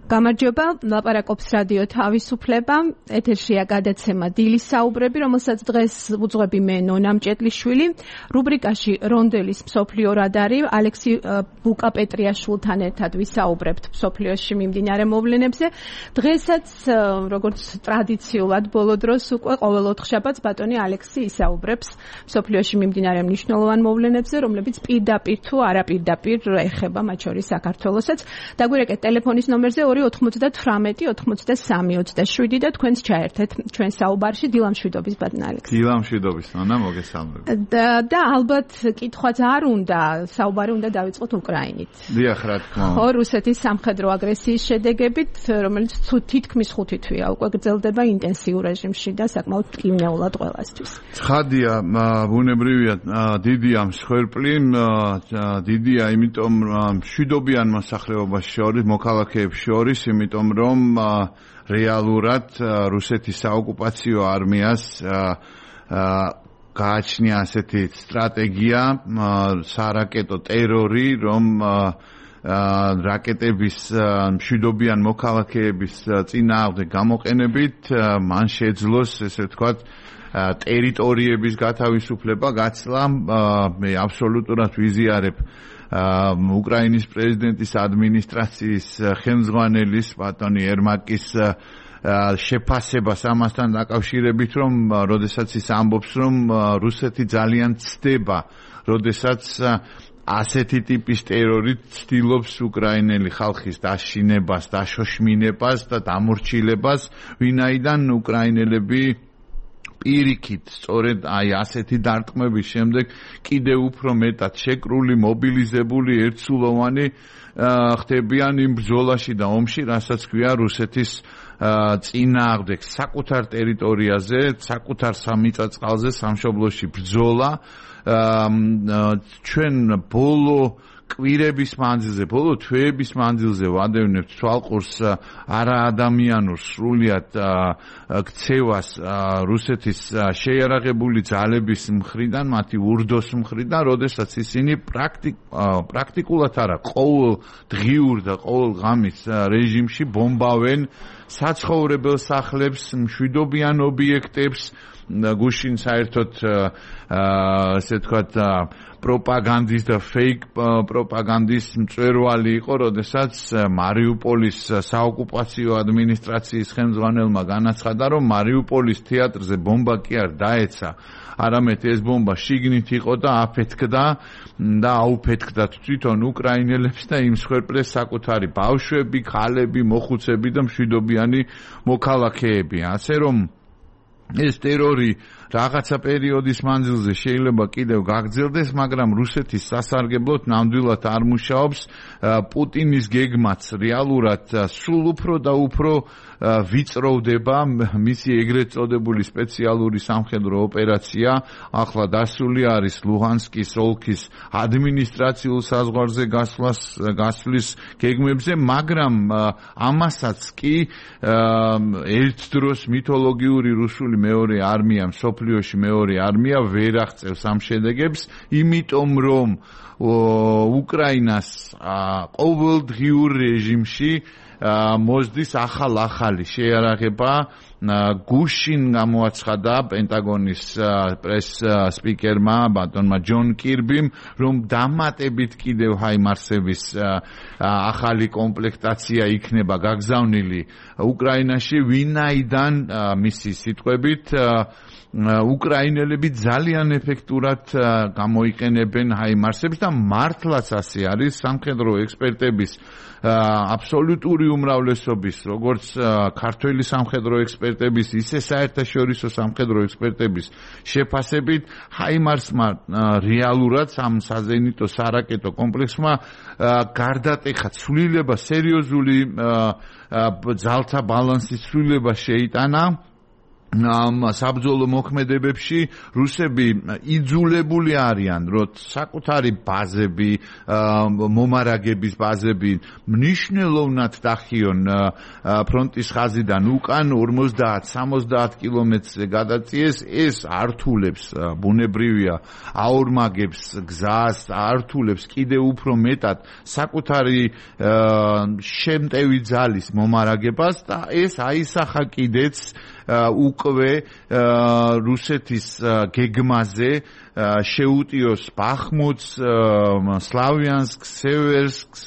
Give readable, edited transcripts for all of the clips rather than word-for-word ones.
გამარჯობა, ლაპარაკობს რადიო თავისუფლება. ეთერშია გადაცემა დილის საუბრები, რომელსაც დღეს უძღვები მე ნონა მჭედლიშვილი. რუბრიკაში რონდელის მსოფლიო რადარი ალექსი ბუკაპეტრიაშვილთან ერთად ვისაუბრებთ მსოფლიოში მიმდინარე მოვლენებზე. დღესაც, როგორც ტრადიციულად ბოლო დროს უკვე ყოველ ოთხშაბათს ბატონი ალექსი ისაუბრებს მსოფლიოში მიმდინარე მნიშვნელოვან მოვლენებზე, რომლებიც პირდაპირ თუ არაპირდაპირ ეხება მათ შორის საქართველოსაც. დაგვირეკეთ ტელეფონის ნომერზე 298-93-27 და თქვენს ჩაერთეთ ჩვენ საუბარში. დილამშვიდობის ბატონ ალექსი. დილამშვიდობის ნონა, მოგესალმებით. და ალბათ კითხვაც არ უნდა, საუბარი უნდა დავიწყოთ უკრაინით. დიახ, რა თქმა უნდა. რუსეთის სამხედრო აგრესიის შედეგებით, რომელიც თითქმის 5 თვეა უკვე გრძელდება ინტენსიურ რეჟიმში და საკმაოდ მტკივნეულად ყველასთვის. ცხადია, ბუნებრივია, დიდია მსხვერპლი, დიდია, იმიტომ მშვიდობიან მოსახლეობას შორის, მოქალაქეებს შორის, იმიტომ რომ რეალურად რუსეთის საოკუპაციო არმიას გააჩნია ასეთი სტრატეგია, სარაკეტო ტერორი, რომ რაკეტების მშვიდობიან მოქალაქეების წინააღმდეგ გამოყენებით მან შეძლოს, ესე ვთქვათ, ტერიტორიების გათავისუფლება, გაცლა. მე აბსოლუტურად ვიზიარებ უკრაინის პრეზიდენტის ადმინისტრაციის ხელმძღვანელის ბატონი ერმაკის შეფასებას ამასთან დაკავშირებით, რომ როდესაც ის ამბობს, რომ რუსეთი ძალიან ცდება, როდესაც ასეთი ტიპის ტერორით ცდილობს უკრაინელი ხალხის დაშინებას, დაშოშმინებას და დამორჩილებას, ვინაიდან უკრაინელები პირიქით, სწორედ აი ასეთი დარტყმების შემდეგ კიდევ უფრო მეტად შეკრული, მობილიზებული, ერთსულოვანი ხდებიან იმ ბრძოლაში და ომში, რასაც ქვია რუსეთის წინააღმდეგ საკუთარ ტერიტორიაზე, საკუთარ სამიწა-წყალზე, სამშობლოში ბრძოლა. ჩვენ ბოლო კვირების მანძილზე, ბოლო თვეების მანძილზე ვადევნებთ თვალყურს არაადამიანურ სრულიად ქცევას რუსეთის შეიარაღებული ძალების მხრიდან, მათი ურდოს მხრიდან, როდესაც ისინი პრაქტიკულად არა, ყოველ დღიურ და ყოველ ღამის რეჟიმში ბომბავენ საცხოვრებელ სახლებს, მშვიდობიან ობიექტებს. გუშინ საერთოდ ასე ვთქვათ პროპაგანდის და ფეიქ პროპაგანდის მწვერვალი იყო, როდესაც მარიუპოლის საოკუპაციო ადმინისტრაციის ხელმძღვანელმა განაცხადა, რომ მარიუპოლის თეატრზე ბომბა კი არ დაეცა, არამედ ეს ბომბა შიგნით იყო და აფეთქდა და აუფეთქდა თვითონ უკრაინელებს და იმსხვერპლეს საკუთარი ბავშვები, ქალები, მოხუცები და მშვიდობიანი მოქალაქეები. ასე რომ ეს ტერორი რაღაცა პერიოდის მანძილზე შეიძლება კიდევ გაგრძელდეს, მაგრამ რუსეთის სასარგებლოდ ნამდვილად არ მუშაობს. პუტინის გეგმაც რეალურად სულ უფრო და უფრო ვიწროვდება. მისი ეგრეთ წოდებული სპეციალური სამხედრო ოპერაცია ახლა დასული არის ლუჰანსკის ოლქის ადმინისტრაციულ საზღვარზე გასვლის გეგმებზე, მაგრამ ამასაც კი ერთ დროს მითოლოგიური რუსული მეორე არმია, მსოფლიოში მეორე არმია ვერ აღწევს ამ შედეგებს, იმიტომ რომ უკრაინას ყოველდღიურ რეჟიმში მოსდის ახალი შეიარაღება. გუშინ გამოაცხადა პენტაგონის პრეს სპიკერმა ბატონმა ჯონ კირბიმ, რომ დამატებით კიდევ ჰაიმარსების ახალი კომპლექტაცია იქნება გაგზავნილი უკრაინაში, ვინაიდან მისი სიტყვებით უკრაინელები ძალიან ეფექტურად გამოიყენებენ ჰაიმარსებს და მართლაც ასე არის. სამხედრო ექსპერტების აბსოლუტური უმრავლესობის, როგორც ქართველი სამხედრო ექსპერტების, ისე საერთაშორისო სამხედრო ექსპერტების შეფასებით, ჰაიმარსმა რეალურად ამ საზენიტო სარაკეტო კომპლექსმა გარდატეხა ცვლილება, სერიოზული ძალთა ბალანსის ცვლილება შეიტანა. საბრძოლო მოქმედებებში რუსები იძულებული არიან, რომ საკუთარი ბაზები, მომარაგების ბაზები მნიშვნელოვნად დახიონ ფრონტის ხაზიდან უკან 50-70 კილომეტრზე გადაწიეს. ეს ართულებს, ბუნებრივია, აორმაგებს გზას, ართულებს კიდევ უფრო მეტად საკუთარი შემტევი ძალის მომარაგებას და ეს აისახა კიდეც უკვე რუსეთის გეგმაზე შეუტიოს ბახმუტს, სლავიანსკს, სევერსკს,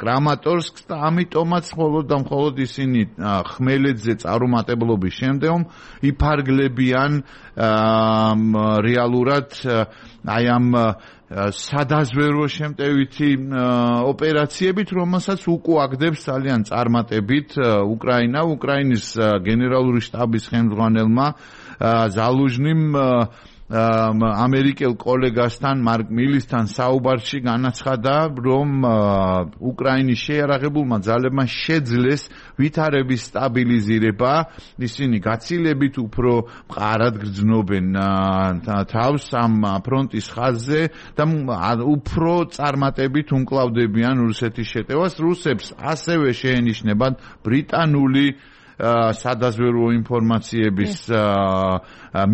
კრამატორსკს და ამიტომაც მხოლოდ ისინი ხმელეთზე წარუმატებლობის შემდგომ იფარგლებიან რეალურად აი ამ სადაზვერო შემტევითი ოპერაციებით, რომელსაც უკუაგდებს ძალიან წარმატებით უკრაინის გენერალური შტაბის ხელმძღვანელმა ზალუჟნიმ ამერიკელ კოლეგასთან მარკ მილისთან საუბარში განაცხადა, რომ უკრაინის შეიარაღებულმა ძალებმა შეძლეს ვითარების სტაბილიზირება, ისინი გაცილებით უფრო მყარად გრძნობენ თავს ამ ფრონტის ხაზზე და უფრო წარმატებით უმკლავდებიან რუსეთის შეტევას. რუსებს ასევე შეენიშნებათ ბრიტანული სადაზვერო ინფორმაციების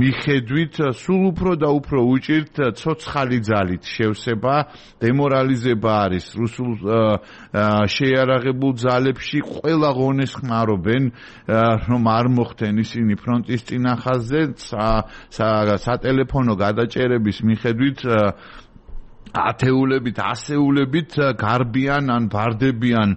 მიხედვით სულ უფრო და უფრო უჭირთ ცოცხალი ძალით შევსება, დემორალიზება არის რუსულ შეიარაღებულ ძალებში. ყველა ღონეს ხმარობენ, რომ არ მოხდნენ ისინი ფრონტის წინახაზზე, სატელეფონო გადაჭერების მიხედვით ათეულებით, ასეულებით გარბიან ან ბარდებიან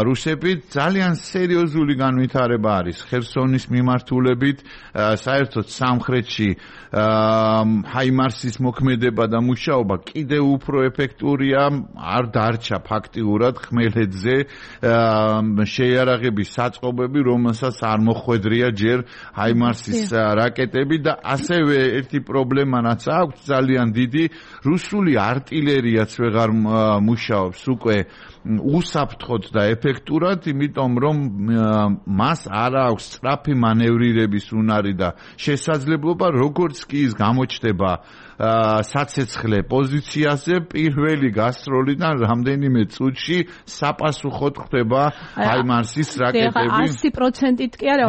რუსები. ძალიან სერიოზული განვითარება არის ხერსონის მიმართულებით, საერთოდ სამხრეთში ჰაიმარსის მოქმედება და მუშაობა კიდევ უფრო ეფექტურია, არ დარჩა ფაქტიურად ხმელეთზე შეიარაღების საწყობები, რომელსაც არ მოხვედრია ჯერ ჰაიმარსის რაკეტები და ასევე ერთი პრობლემა რაც აქვს ძალიან დიდი, რუსული артиллერიაც ვეღარ მუშაობს უკვე უსაფრთხოდ და ეფექტურად, იმიტომ რომ მას არ აქვს სწრაფი მანევრირების უნარი და შესაძლებლობა, როგორც კი ის გამოჩნდება საცეცხლე პოზიციაზე, პირველი გასროლიდან რამდენიმე წუთში საპასუხოდ ხდება ჰაიმარსის რაკეტები. 100%-ით კი არა,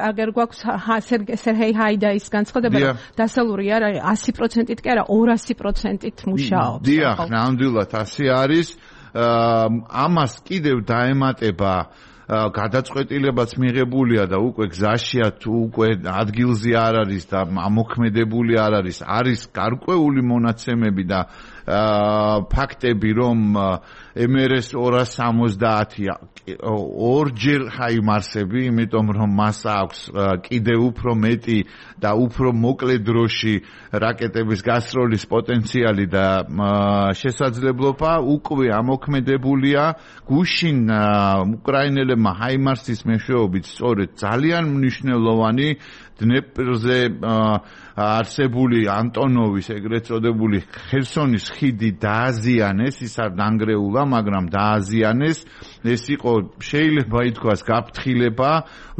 აგერ გვაქვს სერგეი ჰაიდაის განცხადება, რომ დასალური არ არის 100%-ით კი არა, 200%-ით მუშაობს. დიახ, ნამდვილად ასე არის. ამას კიდევ დაემატება გადაწყვეტილებაც მიღებულია და უკვე გზაშია თუ უკვე ადგილზე არ არის და ამოქმედებული არ არის, არის გარკვეული მონაცემები და ფაქტები, რომ MRS 270 ორჯერ ჰაიმარსები, იმიტომ რომ მას აქვს კიდევ უფრო მეტი და უფრო მოკლე დროში რაკეტების გასროლის პოტენციალი და შესაძლებლობა, უკვე ამოქმედებულია. გუშინ უკრაინელებმა ჰაიმარსის მეშვეობით სწორედ ძალიან მნიშვნელოვანი დნეპრზე არსებული ანტონოვის ეგრეთ წოდებული ხერსონის ხიდი დააზიანეს, ის არ დანგრეულა, მაგრამ დააზიანეს. ეს იყო შეიძლება ითქვას გაფრთხილება,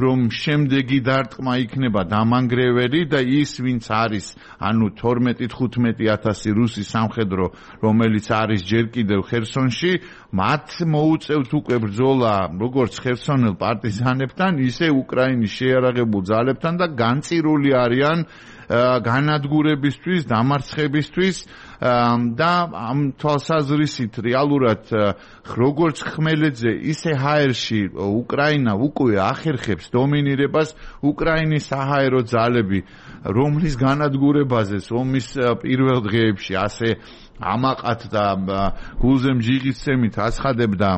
რომ შემდეგი დარტყმა იქნება დამანგრეველი და ის ვინც არის, ანუ 12-15,000 რუსი სამხედრო, რომელიც არის ჯერ კიდევ ხერსონში, მათ მოუწევთ უკვე ბრძოლა როგორც ხერსონელ პარტიზანებთან, ისე უკრაინის შეიარაღებულ ძალებთან და განწირული არიან განადგურებისთვის, დამარცხებისთვის და ამ თვალსაზრისით რეალურად როგორც ხმელეთზე, ისე ჰაერში უკრაინა უკვე ახერხებს დომინირებას. უკრაინის საჰაერო ძალები, რომლის განადგურებაზეც ომის პირველ დღეებში ასე ამაყად და გულზე მჟიღისცემით აცხადებდა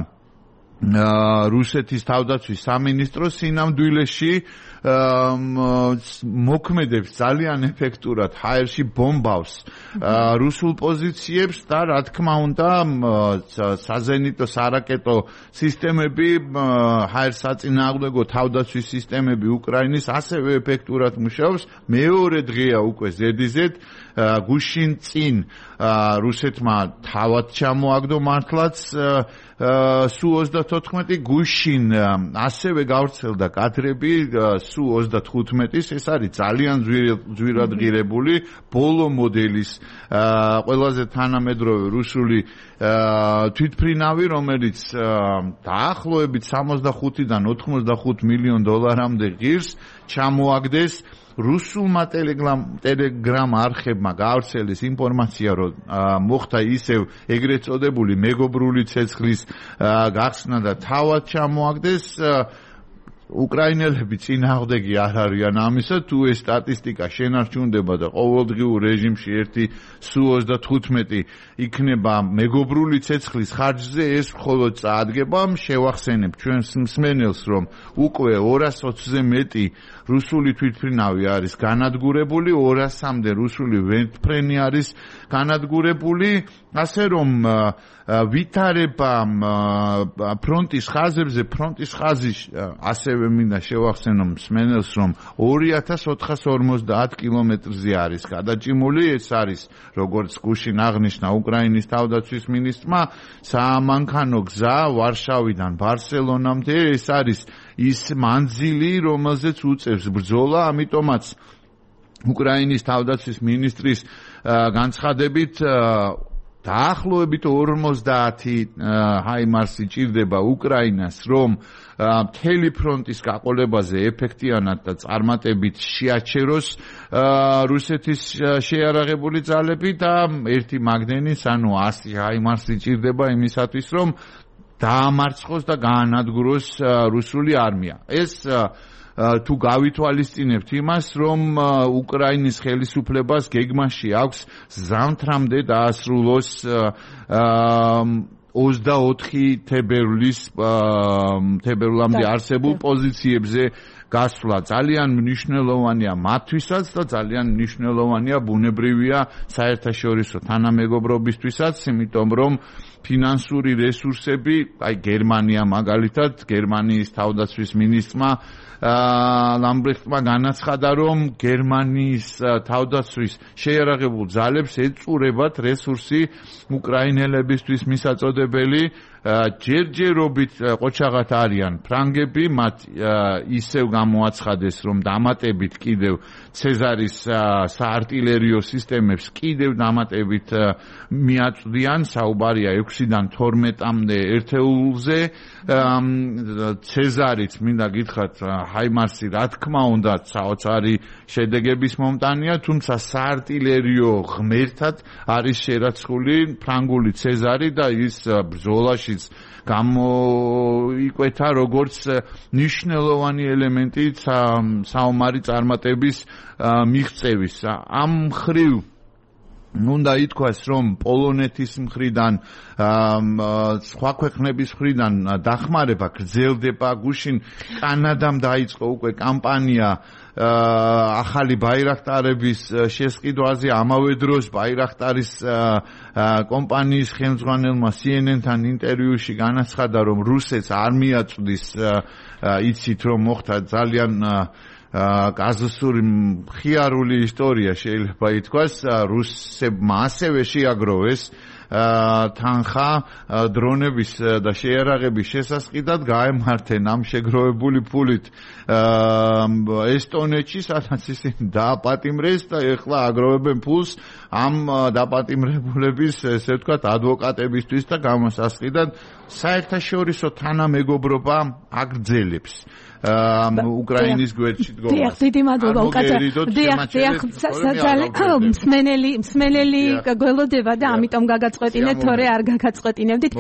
რუსეთის თავდაცვის სამინისტრო, სინამდვილეში მოქმედებს ძალიან ეფექტურად, ჰაერში ბომბავს რუსულ პოზიციებს და რა თქმა უნდა საზენიტო სარაკეტო სისტემები, ჰაერსაწინააღმდეგო თავდაცვის სისტემები უკრაინის ასევე ეფექტურად მუშაობს. მეორე დღეა უკვე ზედიზედ, გუშინ წინ რუსეთმა თავად ჩამოაგდო მართლაც Su-24 გუშინ ასევე გავრცელდა კადრები Su-35-ის, ეს არის ძალიან ძვირადღირებული ბოლო მოდელის ყველაზე თანამედროვე რუსული თვითმფრინავი, რომელიც დაახლოებით 65-დან 85 მილიონ დოლარამდე ღირს ჩამოაგდეს. რუსულმა ტელეგრამ არხებმა გაავრცელეს ინფორმაცია, რომ მოხდა ისევ ეგრეთ წოდებული მეგობრული ცეცხლის გახსნა და თავად ჩამოაგდეს. უკრაინელები წინააღმდეგი არ არიან ამისა, თუ ეს სტატისტიკა შენარჩუნდება და ყოველდღიურ რეჟიმში ერთი Su-35 იქნება მეგობრული ცეცხლის ხარჯზე, ეს მხოლოდ წაადგება. შევახსენებ ჩვენს მსმენელს, რომ უკვე 220-ზე მეტი რუსული თვითმფრინავი არის განადგურებული, 200-მდე რუსული ვერტმფრენი არის განადგურებული, ასე რომ ვითარება ფრონტის ხაზებზე, ფრონტის ხაზი ასევე მინდა შევახსენო მსმენელს, რომ 2450 კილომეტრზე არის გადაჭიმული. ეს არის, როგორც გუშინ აღნიშნა უკრაინის თავდაცვის მინისტრმა, საამანქანო გზა ვარშავიდან ბარსელონამდე. ეს არის ის მანძილი, რომელზეც უწევს ბრძოლა, ამიტომაც უკრაინის თავდაცვის მინისტრის განცხადებით დაახლოებით 50 HIMARS-ი ჭირდება უკრაინას, რომ მთელი ფრონტის გაყოლებაზე ეფექტიანად და წარმატებით შეაჩეროს რუსეთის შეიარაღებული ძალები და ერთი მაგნენის, ანუ 100 HIMARS-ი ჭირდება იმისათვის, რომ დაამარცხოს და გაანადგუროს რუსული არმია. ეს თუ გავითვალისწინებთ იმას, რომ უკრაინის ხელისუფლებას გეგმაში აქვს ზამთრამდე დაასრულოს 24 თებერვლამდე არსებულ პოზიციებზე გასვლა. ძალიან მნიშვნელოვანია მათთვისაც და ძალიან მნიშვნელოვანია ბუნებრივია საერთაშორისო თანამეგობრობისთვისაც, იმიტომ რომ ფინანსური რესურსები, აი გერმანია მაგალითად, გერმანიის თავდაცვის მინისტრმა ლამბრეხტმა განაცხადა, რომ გერმანიის თავდაცვის შეიარაღებულ ძალებს ეწურებათ რესურსი უკრაინელებისთვის მისაწოდებელი. ჯერჯერობით ყოჩაღად არიან ფრანგები, მათ ისევ გამოაცხადეს, რომ დამატებით კიდევ ცეზარის საარტილერიო სისტემებს კიდევ დამატებით მიაწვდიან, საუბარია 6-დან 12-მდე ერთეულზე. ცეზარიც მინდა გითხრათ, HIMARS-ი რა თქმა უნდა საოცარი შედეგების მომტანია, თუმცა საარტილერიო ღმერთად არის შერაცხული ფრანგული ცეზარი და ის ბრძოლაში გამოიკვეთა როგორც მნიშვნელოვანი ელემენტი საომარი წარმატების მიღწევის. ამ მხრივ უნდა ითქვას, რომ პოლონეთის მხრიდან, სხვა ქვეყნების მხრიდან დახმარება გრძელდება. გუშინ კანადამ დაიწყო უკვე კამპანია ახალი ბაირაქტარების შესყიდვაზე. ამავე დროს ბაირაქტარის კომპანიის ხელმძღვანელმა CNN-თან ინტერვიუში განაცხადა, რომ რუსეთს არ მიაწვდის, იცით რომ მოხდა ძალიან კაზუსური მხიარული ისტორია შეიძლება ითქვას, რუსებმა ასევე შეაგროვეს თანხა დრონების და შეიარაღების შესასყიდად, გაემართენ ამ შეგროვებული ფულით ესტონეთში, სადაც ისინი დააპატიმრეს და ეხლა აგროვებენ ფულს ამ დაპატიმრებულების, ესე ვთქვათ, ადვოკატებისთვის და გამოსასყიდად. საერთაშორისო თანამეგობრობა აგრძელებს უკრაინის გვერდში დგომას. დიახ, დიდი მადლობა უკაცრავ. დიახ, მსმენელი გველოდება და ამიტომ გაგაწყვეტინეთ, თორე არ გაგაწყვეტინებდით.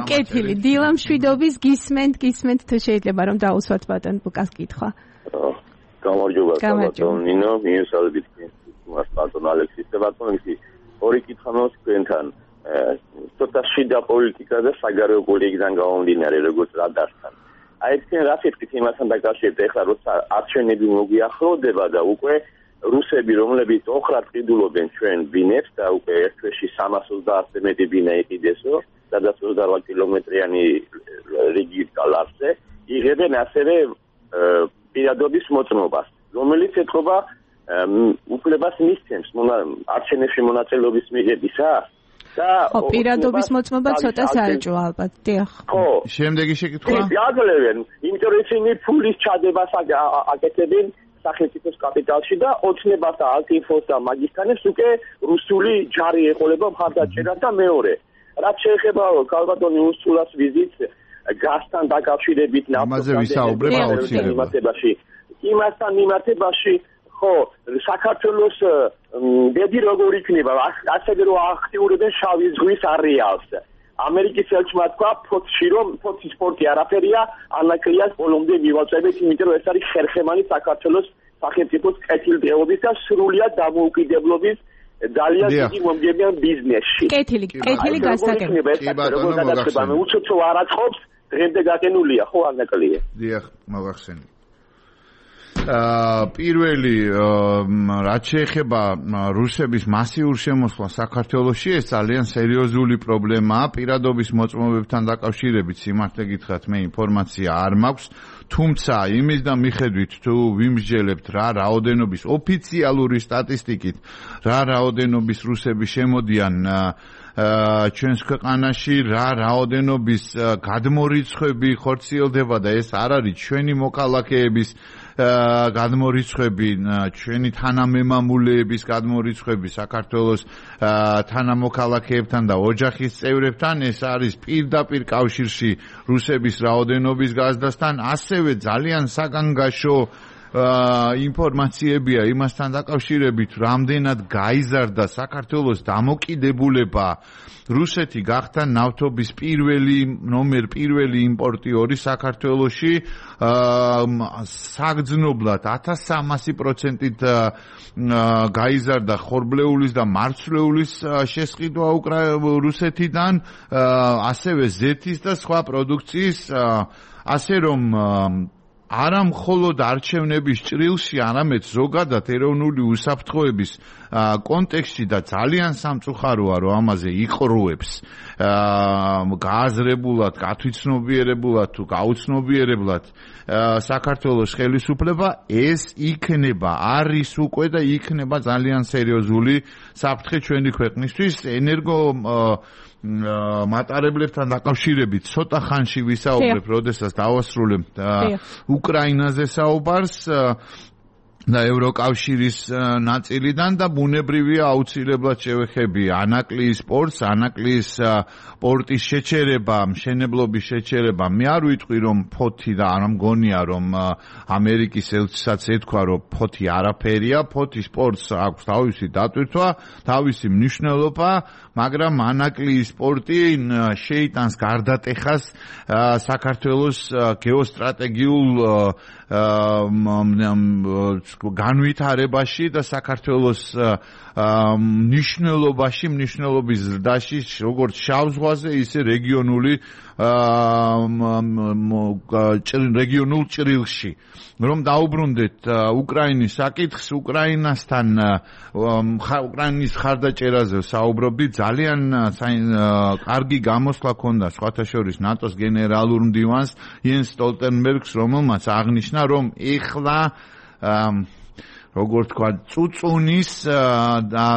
კეთილი, დილა მშვიდობის, გისმენთ თუ შეიძლება რომ დაუსვათ ბატონ ბუკას კითხვა. გამარჯობა, ბატონ ნინო, მიესალმებით მას ბატონ ალექსის და ბატონ ისი. ორი კითხვა მაქვს თქვენთან. ცოტა შიდა პოლიტიკა და საგარეო პოლიტიკიდან გამომდინარე, როგორც რადართან. აი თქვენ რა ფიქრით იმასთან დაკავშირებით, ეხლა როცა არჩევნები მოგიახლოვდება და უკვე რუსები, რომლებიც ოხრად ყიდულობენ ჩვენ ბინებს და უკვე ერთ თვეში 320-ზე მეტი ბინა იყიდესო, სადაც 28 კილომეტრიანი რიგით გალარზე, იღებენ ასევე პირადობის მოწმობას, რომელიც ეთყობა უფლებას მისცემს არჩევნებში მონაწილეობის მიღებისა. ხო, პირადობის მოწმობა ცოტა საეჭვო ალბათ. დიახ. ხო. შემდეგი შეკითხვა? იაგლებენ, იმიტომ რომ ისინი ფულის ჩადებას აკეთებენ სახელმწიფოს კაპიტალში და ოცნებას და ალტინფოს და მაგისთანებს უკვე რუსული ჯარი ეყოლება მხარდაჭერას და მეორე. რაც შეეხება ქალბატონი უსულას ვიზიტს გასთან დაკავშირებით ამაზე ვისაუბრებ აუცილებლად. იმასთან მიმართებაში ხო, საქართველოს ბედი როგორ იქნება, ასევე რომ აქტიურებენ შავი ზღვის არეალს. ამერიკის ელჩმა თქვა ფოთში რომ ფოთის სპორტი არაფერია, ანაკრიას ბოლომდე მივაწევთ, იმიტომ რომ ეს არის ხერხემალი საქართველოს სახელმწიფოს კეთილდღეობის და სრულად დამოუკიდებლობის ძალიან დიდი მომგებიან ბიზნესში. კეთილი გასაგებია. როგორ გადაწყება, უცოცო არ აწყობს, დღემდე გაკენულია, ხო ანაკლია. დიახ, მოგახსენე. პირველი რაც შეეხება რუსების მასიურ შემოსვლას საქართველოში, ეს ძალიან სერიოზული პრობლემაა. პირადობის მოწმობებთან დაკავშირებით სიმართლე გითხრათ, მე ინფორმაცია არ მაქვს, თუმცა იმის და მიხედვით თუ ვიმსჯელებთ რა რაოდენობის ოფიციალური სტატისტიკით, რა რაოდენობის რუსები შემოდიან ჩვენს ქვეყანაში, რა რაოდენობის გადმორიცხვები ხორციელდება და ეს არ არის ჩვენი მოქალაქეების გადმორიცხვები, ჩვენი თანამემამულეების გადმორიცხვები საქართველოს თანამოქალაქეებთან და ოჯახის წევრებთან, ეს არის პირდაპირ კავშირში რუსების რაოდენობის გაზრდასთან, ასევე ძალიან საგანგაშო ინფორმაციებია იმასთან დაკავშირებით, რამდენად გაიზარდა საქართველოს დამოკიდებულება. რუსეთი გახდა ნავთობის ნომერ პირველი იმპორტიორი საქართველოში, საგრძნობლად 1300%-ით გაიზარდა ხორბლეულის და მარცვლეულის შესყიდვა რუსეთიდან, ასევე ზეთის და სხვა პროდუქციის, ასე რომ არა მხოლოდ არჩევნების ჭრილში, არამედ ზოგადად ეროვნული უსაფრთხოების კონტექსტში და ძალიან სამწუხაროა, რომ ამაზე იყრუებს გააზრებულად, გათვითცნობიერებულად თუ გაუცნობიერებლად საქართველოს ხელისუფლება, ეს იქნება, არის უკვე და იქნება ძალიან სერიოზული საფრთხე ჩვენი ქვეყნისთვის. მატარებლებთან დაკავშირებით ცოტა ხანში ვისაუბრებ, როდესაც დავასრულებ უკრაინაზე საუბარს და ევროკავშირის ნაწილიდან და ბუნებრივია აუცილებლად შევეხები ანაკლიის სპორტს, ანაკლიის პორტის შეჩერება, მშენებლობის შეჩერება. მე არ ვიტყვი რომ ფოთი და არ მგონია რომ ამერიკის ელჩისაც ეთქვა რომ ფოთი არაფერია, ფოთის სპორტს აქვს თავისი დატვირთვა, თავისი მნიშვნელობა, მაგრამ ანაკლიის სპორტი შეიტანს გარდატეხას საქართველოს გეოსტრატეგიულ განვითარებაში და საქართველოს მნიშვნელობის ზრდაში, როგორც შავ ზღვაზე, ისე რეგიონულ ჭრილში. რომ დაუბრუნდეთ უკრაინის საკითხს, უკრაინის ხარდაჭერაზე საუბრობდი, ძალიან კარგი გამოსვლა ჰქონდა სხვათა შორის ნატოს გენერალურ მდივანს იენს სტოლტენბერგს, რომელმაც აღნიშნა, რომ ეხლა როგორც თქვა, წუწუნის და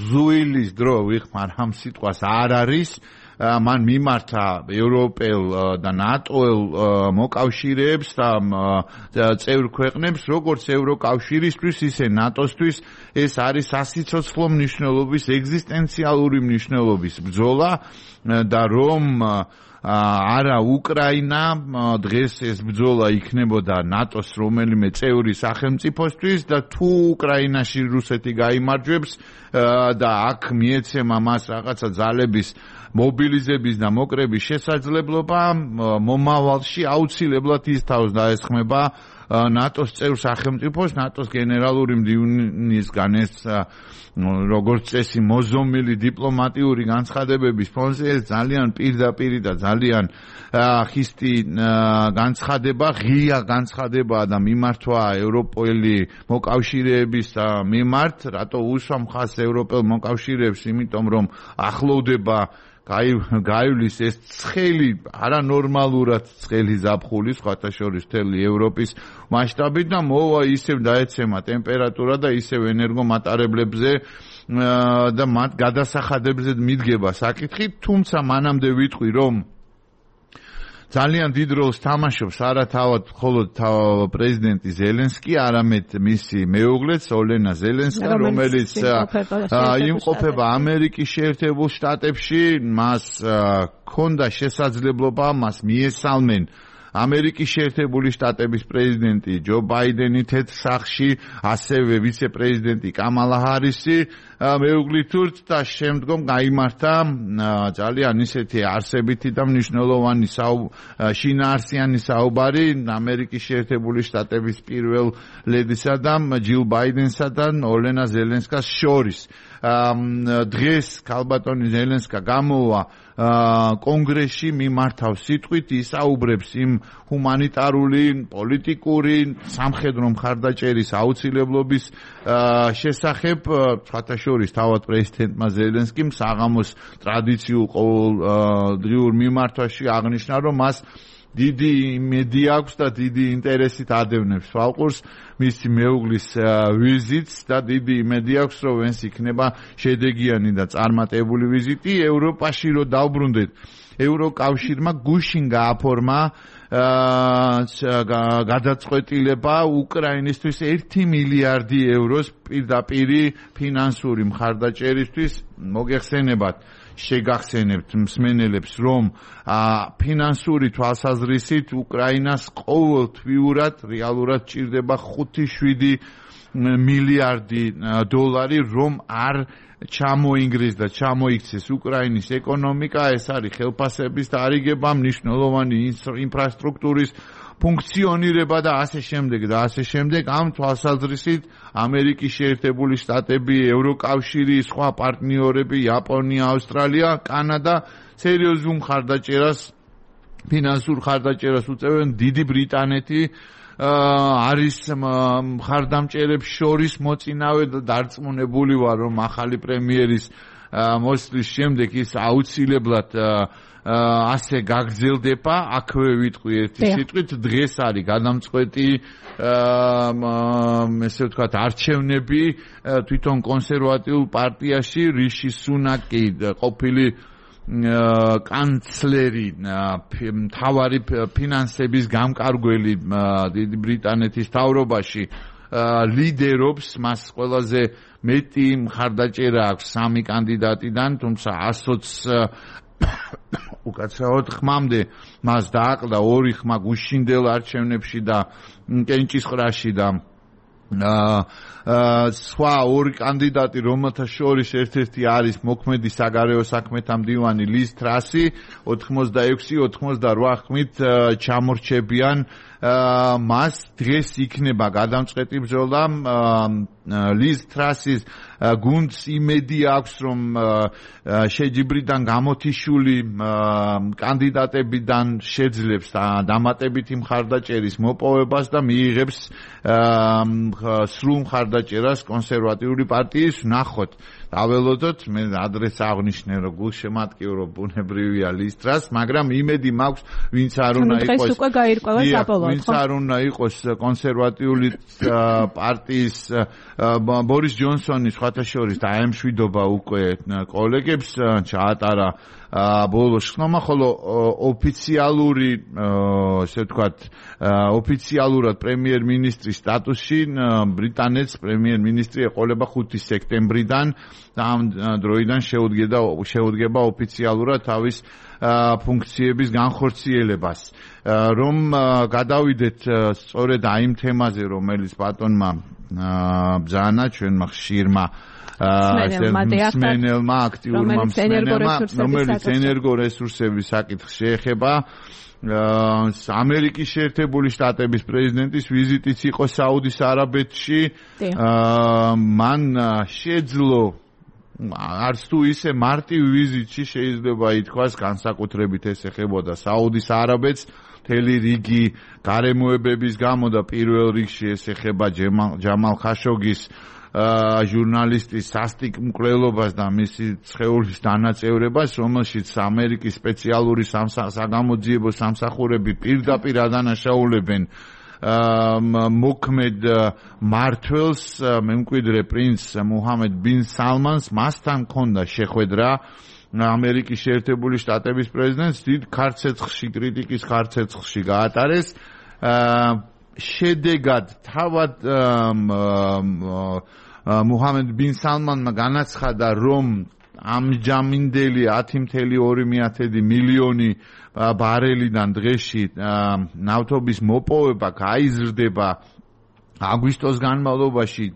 ზუილის დრო ვიხმარ ამ სიტყვას არ არის. მან მიმართა ევროპელ და ნატოელ მოკავშირეებს და წევრ ქვეყნებს, როგორც ევროკავშირისთვის, ისე ნატოსთვის, ეს არის სასიცოცხლო მნიშვნელობის, ეგზისტენციალური მნიშვნელობის ბრძოლა და რომ არა უკრაინა დღეს ეს ბრძოლა იქნებოდა ნატოს რომელიმე წევრი სახელმწიფოსთვის და თუ უკრაინაში რუსეთი გაიმარჯვებს და აქ მიეცემა მას რაღაცა ძალების მობილიზების და მოკრების შესაძლებლობა, მომავალში აუცილებლად ის თავს დაესხმება ნატოს წევრ სახელმწიფოს, ნატოს გენერალური მდივანისგან ეს როგორც წესი მოზომილი დიპლომატიური განცხადებების ფონზე, ეს ძალიან პირდაპირი და ძალიან ხისტი განცხადება, ღია განცხადებაა და მიმართვა ევროპელი მოკავშირეების მიმართ, რატო უსვამ ხაზს ევროპელ მოკავშირეებს, იმიტომ რომ ახლოვდება გაივლის ეს ცხელი, არანორმალურად ცხელი ზაფხული, სხვათა შორის მთელი ევროპის მასშტაბით და მოვა ისევ დაეცემა ტემპერატურა და ისევ ენერგომატარებლებზე და მათ გადასახადებებზე მიდგება საკითხი, თუმცა მანამდე ვიტყვი, რომ ძალიან დიდ როლს თამაშობს არა თავად მხოლოდ პრეზიდენტი ზელენსკი, არამედ მისი მეუღლეც ოლენა ზელენსკა, რომელიც იმყოფება ამერიკის შეერთებულ შტატებში, მას ჰქონდა შესაძლებლობა, მას მიესალმენ ამერიკის შეერთებული შტატების პრეზიდენტი ჯო ბაიდენი თეთრ სახლში, ასევე ვიცე-პრეზიდენტი კამალა ჰარისი მეუღლითურთ და შემდგომ გაიმართა ძალიან ისეთი არსებითი და მნიშვნელოვანი შინაარსიანი საუბარი ამერიკის შეერთებული შტატების პირველ ლედისა და ჯილ ბაიდენსა და ოლენა ზელენსკას შორის. დღეს ქალბატონი ზელენსკა გამოვა კონგრესში, მიმართავს სიტყვით, ისაუბრებს იმ ჰუმანიტარული, პოლიტიკური, სამხედრო მხარდაჭერის აუცილებლობის შესახებ, სხვათა შორის თავად პრეზიდენტმა ზელენსკიმ საღამოს ტრადიციულ ყოველდღიურ მიმართვაში აღნიშნა, რომ მას დიდი იმედი აქვს და დიდი ინტერესით ადევნებს ვალყურს მისი მეუღლის ვიზიტს და დიდი იმედი აქვს, რომ ეს იქნება შედეგიანი და წარმატებული ვიზიტი. ევროპაში რო დავბრუნდეთ, ევროკავშირმა გუშინ გააფორმა გადაწყვეტილება უკრაინისთვის 1 მილიარდი ევროს პირდაპირი ფინანსური მხარდაჭერისთვის. მოგეხსენებათ, შეგახსენებთ მსმენელებს, რომ ფინანსური თვალსაზრისით უკრაინას ყოველთვიურად რეალურად ჭირდება 5-7 მილიარდი დოლარი, რომ არ ჩამოინგრეს და ჩამოიქცეს უკრაინის ეკონომიკა. ეს არის ხელფასების დარიგება, მნიშვნელოვანი ინფრასტრუქტურის ფუნქციონირება და ასე შემდეგ და ასე შემდეგ. ამ თვალსაზრისით ამერიკის შეერთებული შტატები, ევროკავშირი, სხვა პარტნიორები, იაპონია, ავსტრალია, კანადა სერიოზულ მხარდაჭერას, ფინანსურ მხარდაჭერას უწევენ. დიდი ბრიტანეთი არის მხარდამჭერებს შორის მოწინავე და დარწმუნებული ვარ, რომ ახალი პრემიერის მოსვლის შემდეგ ის აუცილებლად ასე გაგრძელდება. აქვე ვიტყვი ერთი სიტყვით, დღეს არის გადამწყვეტი ესე ვთქვათ არჩევნები თვითონ კონსერვატიულ პარტიაში. რიში სუნაკი, ყოფილი კანცლერი, მთავარი ფინანსების გამკარგველი დიდი ბრიტანეთის მთავრობაში ლიდერობს. მას ყველაზე მეტი მხარდაჭერა აქვს 3 კანდიდატიდან, თუმცა 120 უკაცრავად ხმამდე მას დააკლდა 2 ხმა გუშინდელ არჩევნებში და კენჭისყრაში და სხვა 2 კანდიდატი, რომელთა შორის ერთ-ერთი არის მოქმედი საგარეო საქმეთა მდივანი ლიz ტრასი, 86-88 ხმით ჩამორჩებიან. მას დღეს იქნება გადამწყვეტი ბრძოლა. ლიz ტრასის გუნდს იმედი აქვს, რომ შეჯიბრიდან გამოთიშული კანდიდატებიდან შეძლებს დამატებითი მხარდაჭერის მოპოვებას და მიიღებს სრულ მხარდაჭერას კონსერვატიული პარტიის. ნახოთ, დაველოდოთ, მე ადრეს აღნიშნე, რომ გულშემატკივრო ბუნებრივია ლიz ტრასს, მაგრამ იმედი მაქვს, ვინც არ უნდა იყოს დღეს უკვე გაირკვევა საბოლოოდ. ვინც არ უნდა იყოს კონსერვატიული პარტიის ბორის ჯონსონი სხვათა შორის დაემშვიდობა უკვე კოლეგებს, ჩაატარა ბოლოს ხმა, ხოლო ოფიციალური, ესე ვთქვათ, ოფიციალურად პრემიერ-მინისტრის სტატუსში ბრიტანეთს პრემიერ-მინისტრი ეყოლება 5 სექტემბრიდან და ამ დროიდან შეუდგება ოფიციალურად თავის ფუნქციების განხორციელებას. რომ გადავიდეთ სწორედ იმ თემაზე, რომელიც ბატონმა ბრძანა ჩვენმა ხშირმა მსმენელმა, აქტიურმა მსმენელმა, რომელიც ენერგორესურსების საკითხს შეეხება. ამერიკის შეერთებული შტატების პრეზიდენტის ვიზიტიც იყო საუდის არაბეთში. მან შეძლო არც თუ ისე მარტივ ვიზიტში შეიძლება ითქვას, განსაკუთრებით ეს ეხებოდა საუდის არაბეთს, მთელი რიგი გარემოებების გამო და პირველ რიგში ეს ეხება ჯამალ ხაშოგის ჟურნალისტის სასტიკ მკვლელობას და მისი სხეულის დანაწევრებას, რომელშიც ამერიკის სპეციალური საგამოძიებო სამსახურები პირდაპირ ადანაშაულებენ მოქმედ მმართველს მემკვიდრე პრინც მუჰამედ ბინ სალმანს მასთან ჰქონდა შეხვედრა ამერიკის შეერთებული შტატების პრეზიდენტს დიდ ქარცეცხლში კრიტიკის ქარცეცხლში გაატარეს შედეგად თავად მუჰამედ ბინ სალმანმა განაცხადა რომ ამჯამინდელი 10.2 მილიონი ბარელიდან დღეში ნავთობის მოპოვება გაიზრდება აგვისტოს განმავლობაში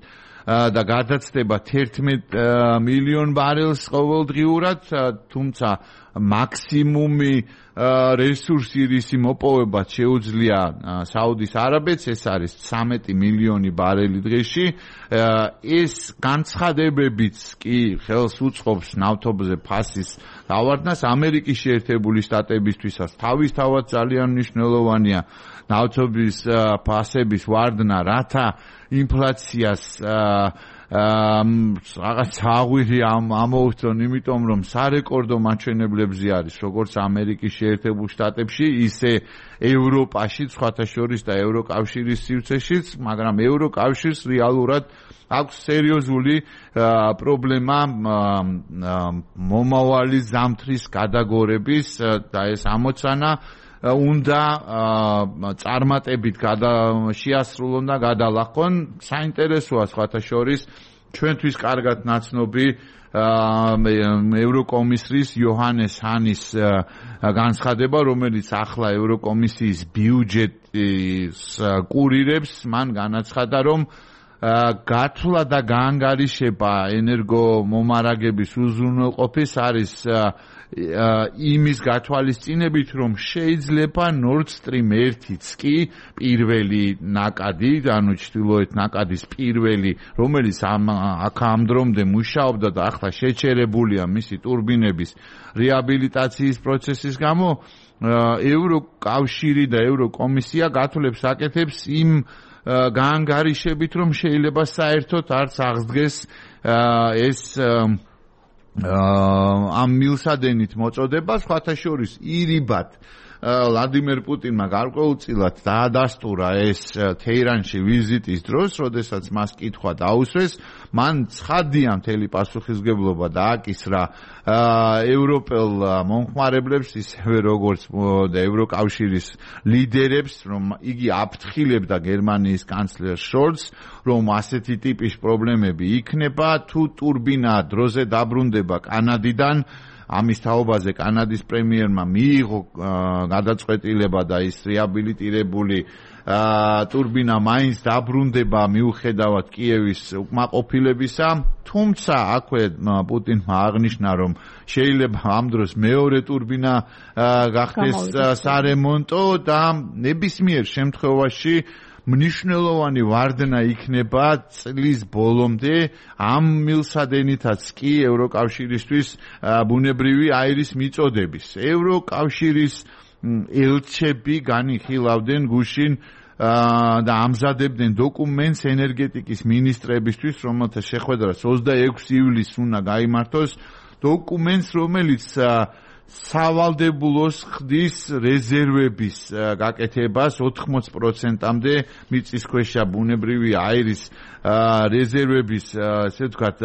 და გადაცდება 11 მილიონ ბარელს ყოველდღიურად, თუმცა მაქსიმუმი რესურსი რისი მოპოვება შეუძლია საუდის არაბეთს, ეს არის 13 მილიონი ბარელი დღეში. ეს განცხადებებიც კი ხელს უწყობს ნავთობზე ფასის დავარდნას. ამერიკის შეერთებული შტატებისთვისაც თავისთავად ძალიან მნიშვნელოვანია ნავთობის ფასების ვარდნა, რათა ინფლაციას რაღაც აღვირი ამოუწონ, იმიტომ რომ სარეკორდო მაჩვენებლებზე არის როგორც ამერიკის შეერთებულ შტატებში, ისე ევროპაში, სხვათა შორის და ევროკავშირის სივრცეშიც, მაგრამ ევროკავშირს რეალურად აქვს სერიოზული პრობლემა მომავალი ზამთრის გადაგორების და ეს ამოცანა უნდა წარმატებით შეასრულონ და გადალახონ. საინტერესოა სხვათა შორის ჩვენთვის კარგად ნაცნობი ევროკომისრის იოჰანეს ჰანის განცხადება, რომელიც ახლა ევროკომისიის ბიუჯეტის კურირებს, მან განაცხადა, რომ გათვლა და გაანგარიშება ენერგომომარაგების უზრუნველყოფის არის იმის გათვალისწინებით, რომ შეიძლება Nord Stream 1-იც კი პირველი ნაკადი, ანუ ჩრდილოეთ ნაკადის პირველი, რომელიც აქ ამ დრომდე მუშაობდა და ახლა შეჩერებულია მისი ტურბინების რეაბილიტაციის პროცესის გამო, ევროკავშირი და ევროკომისია გათვლებს აკეთებს იმ გაანგარიშებით, რომ შეიძლება საერთოდ არც აღსდგეს ეს ამ მილსადენით მოწოდება. სხვათა შორის ირიბად ვლადიმერ პუტინმა გარკვეულწილად დაადასტურა ეს თეირანში ვიზიტის დროს, როდესაც მას კითხვა დაუსვეს, მან ცხადია მთელი პასუხისმგებლობა დააკისრა ევროპელ მომხმარებლებს, ისევე როგორც ევროკავშირის ლიდერებს, რომ იგი აფრთხილებდა გერმანიის კანცლერ შოლცს, რომ ასეთი ტიპის პრობლემები იქნება, თუ ტურბინა დროზე დაბრუნდება კანადიდან. ამის თაობაზე კანადის პრემიერმა მიიღო გადაწყვეტილება და ის რეაბილიტირებული ტურბინა მაინც დაბრუნდება მიუხედავად კიევის უკმაყოფილებისა. თუმცა აქვე პუტინმა აღნიშნა, რომ შეიძლება ამ დროს მეორე ტურბინა გახდეს სარემონტო და ნებისმიერ შემთხვევაში მნიშვნელოვანი ვარდნა იქნება წლის ბოლომდე ამ მილსადენითაც კი ევროკავშირისთვის ბუნებრივი აირის მიწოდების. ევროკავშირის ელჩები განიხილავდნენ გუშინ და ამზადებდნენ დოკუმენტს ენერგეტიკის მინისტრებისთვის, რომელთა შეხვედრა 26 ივლისს უნდა გაიმართოს. დოკუმენტს, რომელიც სავალდებულოს ხდის რეზერვების გაკეთებას 80%-მდე მიწისქვეშა ბუნებრივი აირის რეზერვების, ესე ვთქვათ,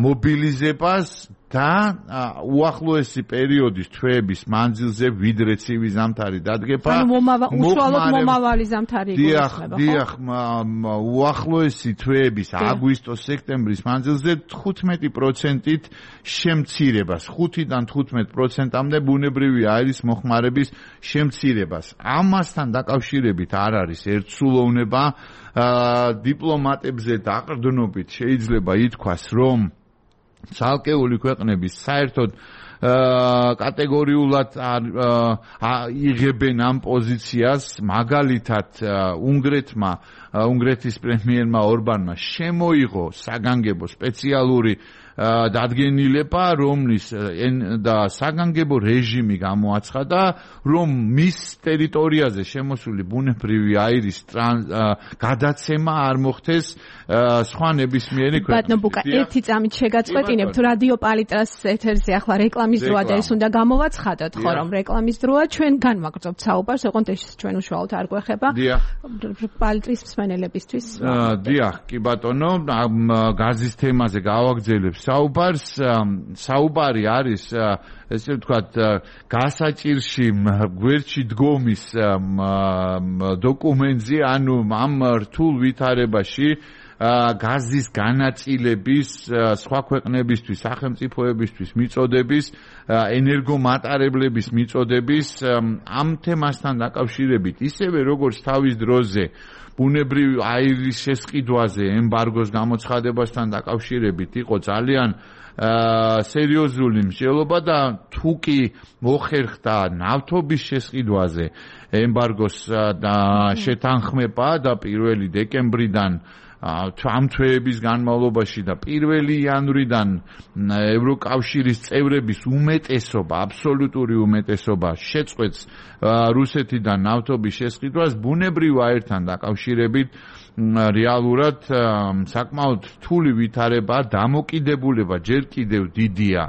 მობილიზებას და უახლოესი პერიოდის თვეების მანძილზე ვიდრე ცივი ზამთარი დადგება. ანუ უშუალოდ მომავალი ზამთარი იგულისხმება, ხო? დიახ, უახლოესი თვეების აგვისტო-სექტემბრის მანძილზე 15%-ით შემცირებას, 5-დან 15%-მდე ბუნებრივი აირის მოხმარების შემცირებას. ამასთან დაკავშირებით არ არის ერთსულოვნება. დიპლომატებზე დაყრდნობით შეიძლება ითქვას, რომ ცალკეული ქვეყნების საერთოდ კატეგორიულად იღებენ ამ პოზიციას. მაგალითად უნგრეთმა უნგრეთის პრემიერმა ორბანმა შემოიღო საგანგებო სპეციალური დადგენილება, რომლის და საგანგებო რეჟიმი გამოაცხადა, რომ მის ტერიტორიაზე შემოსული ბუნებრივი აირის გადაცემა არ მოხდეს სხვა ნებისმიერი ქვეყნის. ბატონო ბუკა, ერთი წამით შეგაწყვეტინებთ, რადიო პალიტრას ეთერზე ახლა რეკლამის დროა და ეს უნდა გამოვაცხადოთ, ხო, რომ რეკლამის დროა, ჩვენ განვაგრძობთ საუბარს, ოღონდ ეს ჩვენ უშუალოდ არ გვეხება. პალიტრის მსმენელებისთვის. დიახ, კი ბატონო, გაზის თემაზე გავაგრძელებ საუბარს. საუბარი არის ესე ვთქვათ გასაჭირში გვერდში დგომის დოკუმენტზე, ანუ ამ რთულ ვითარებაში გაზის განაწილების სხვა ქვეყნებისთვის, სახელმწიფოებისთვის მიწოდების, ენერგომატარებლების მიწოდების ამ თემასთან დაკავშირებით, ისევე როგორც თავის დროზე ბუნებრივი აირის შესყიდვაზე ემბარგოს გამოცხადებასთან დაკავშირებით იყო ძალიან სერიოზული მსჯელობა და თუ კი მოხერხდა ნავთობის შესყიდვაზე ემბარგოს შეთანხმება და 1 დეკემბრიდან ამ თვეების განმავლობაში და 1 იანვრიდან ევროკავშირის წევრების უმეტესობა, აბსოლუტური უმეტესობა შეწყვეტს რუსეთიდან ნავთობის შესყიდვას, ბუნებრივ აირთან დაკავშირებით რეალურად საკმაოდ რთული ვითარება, დამოკიდებულება ჯერ კიდევ დიდია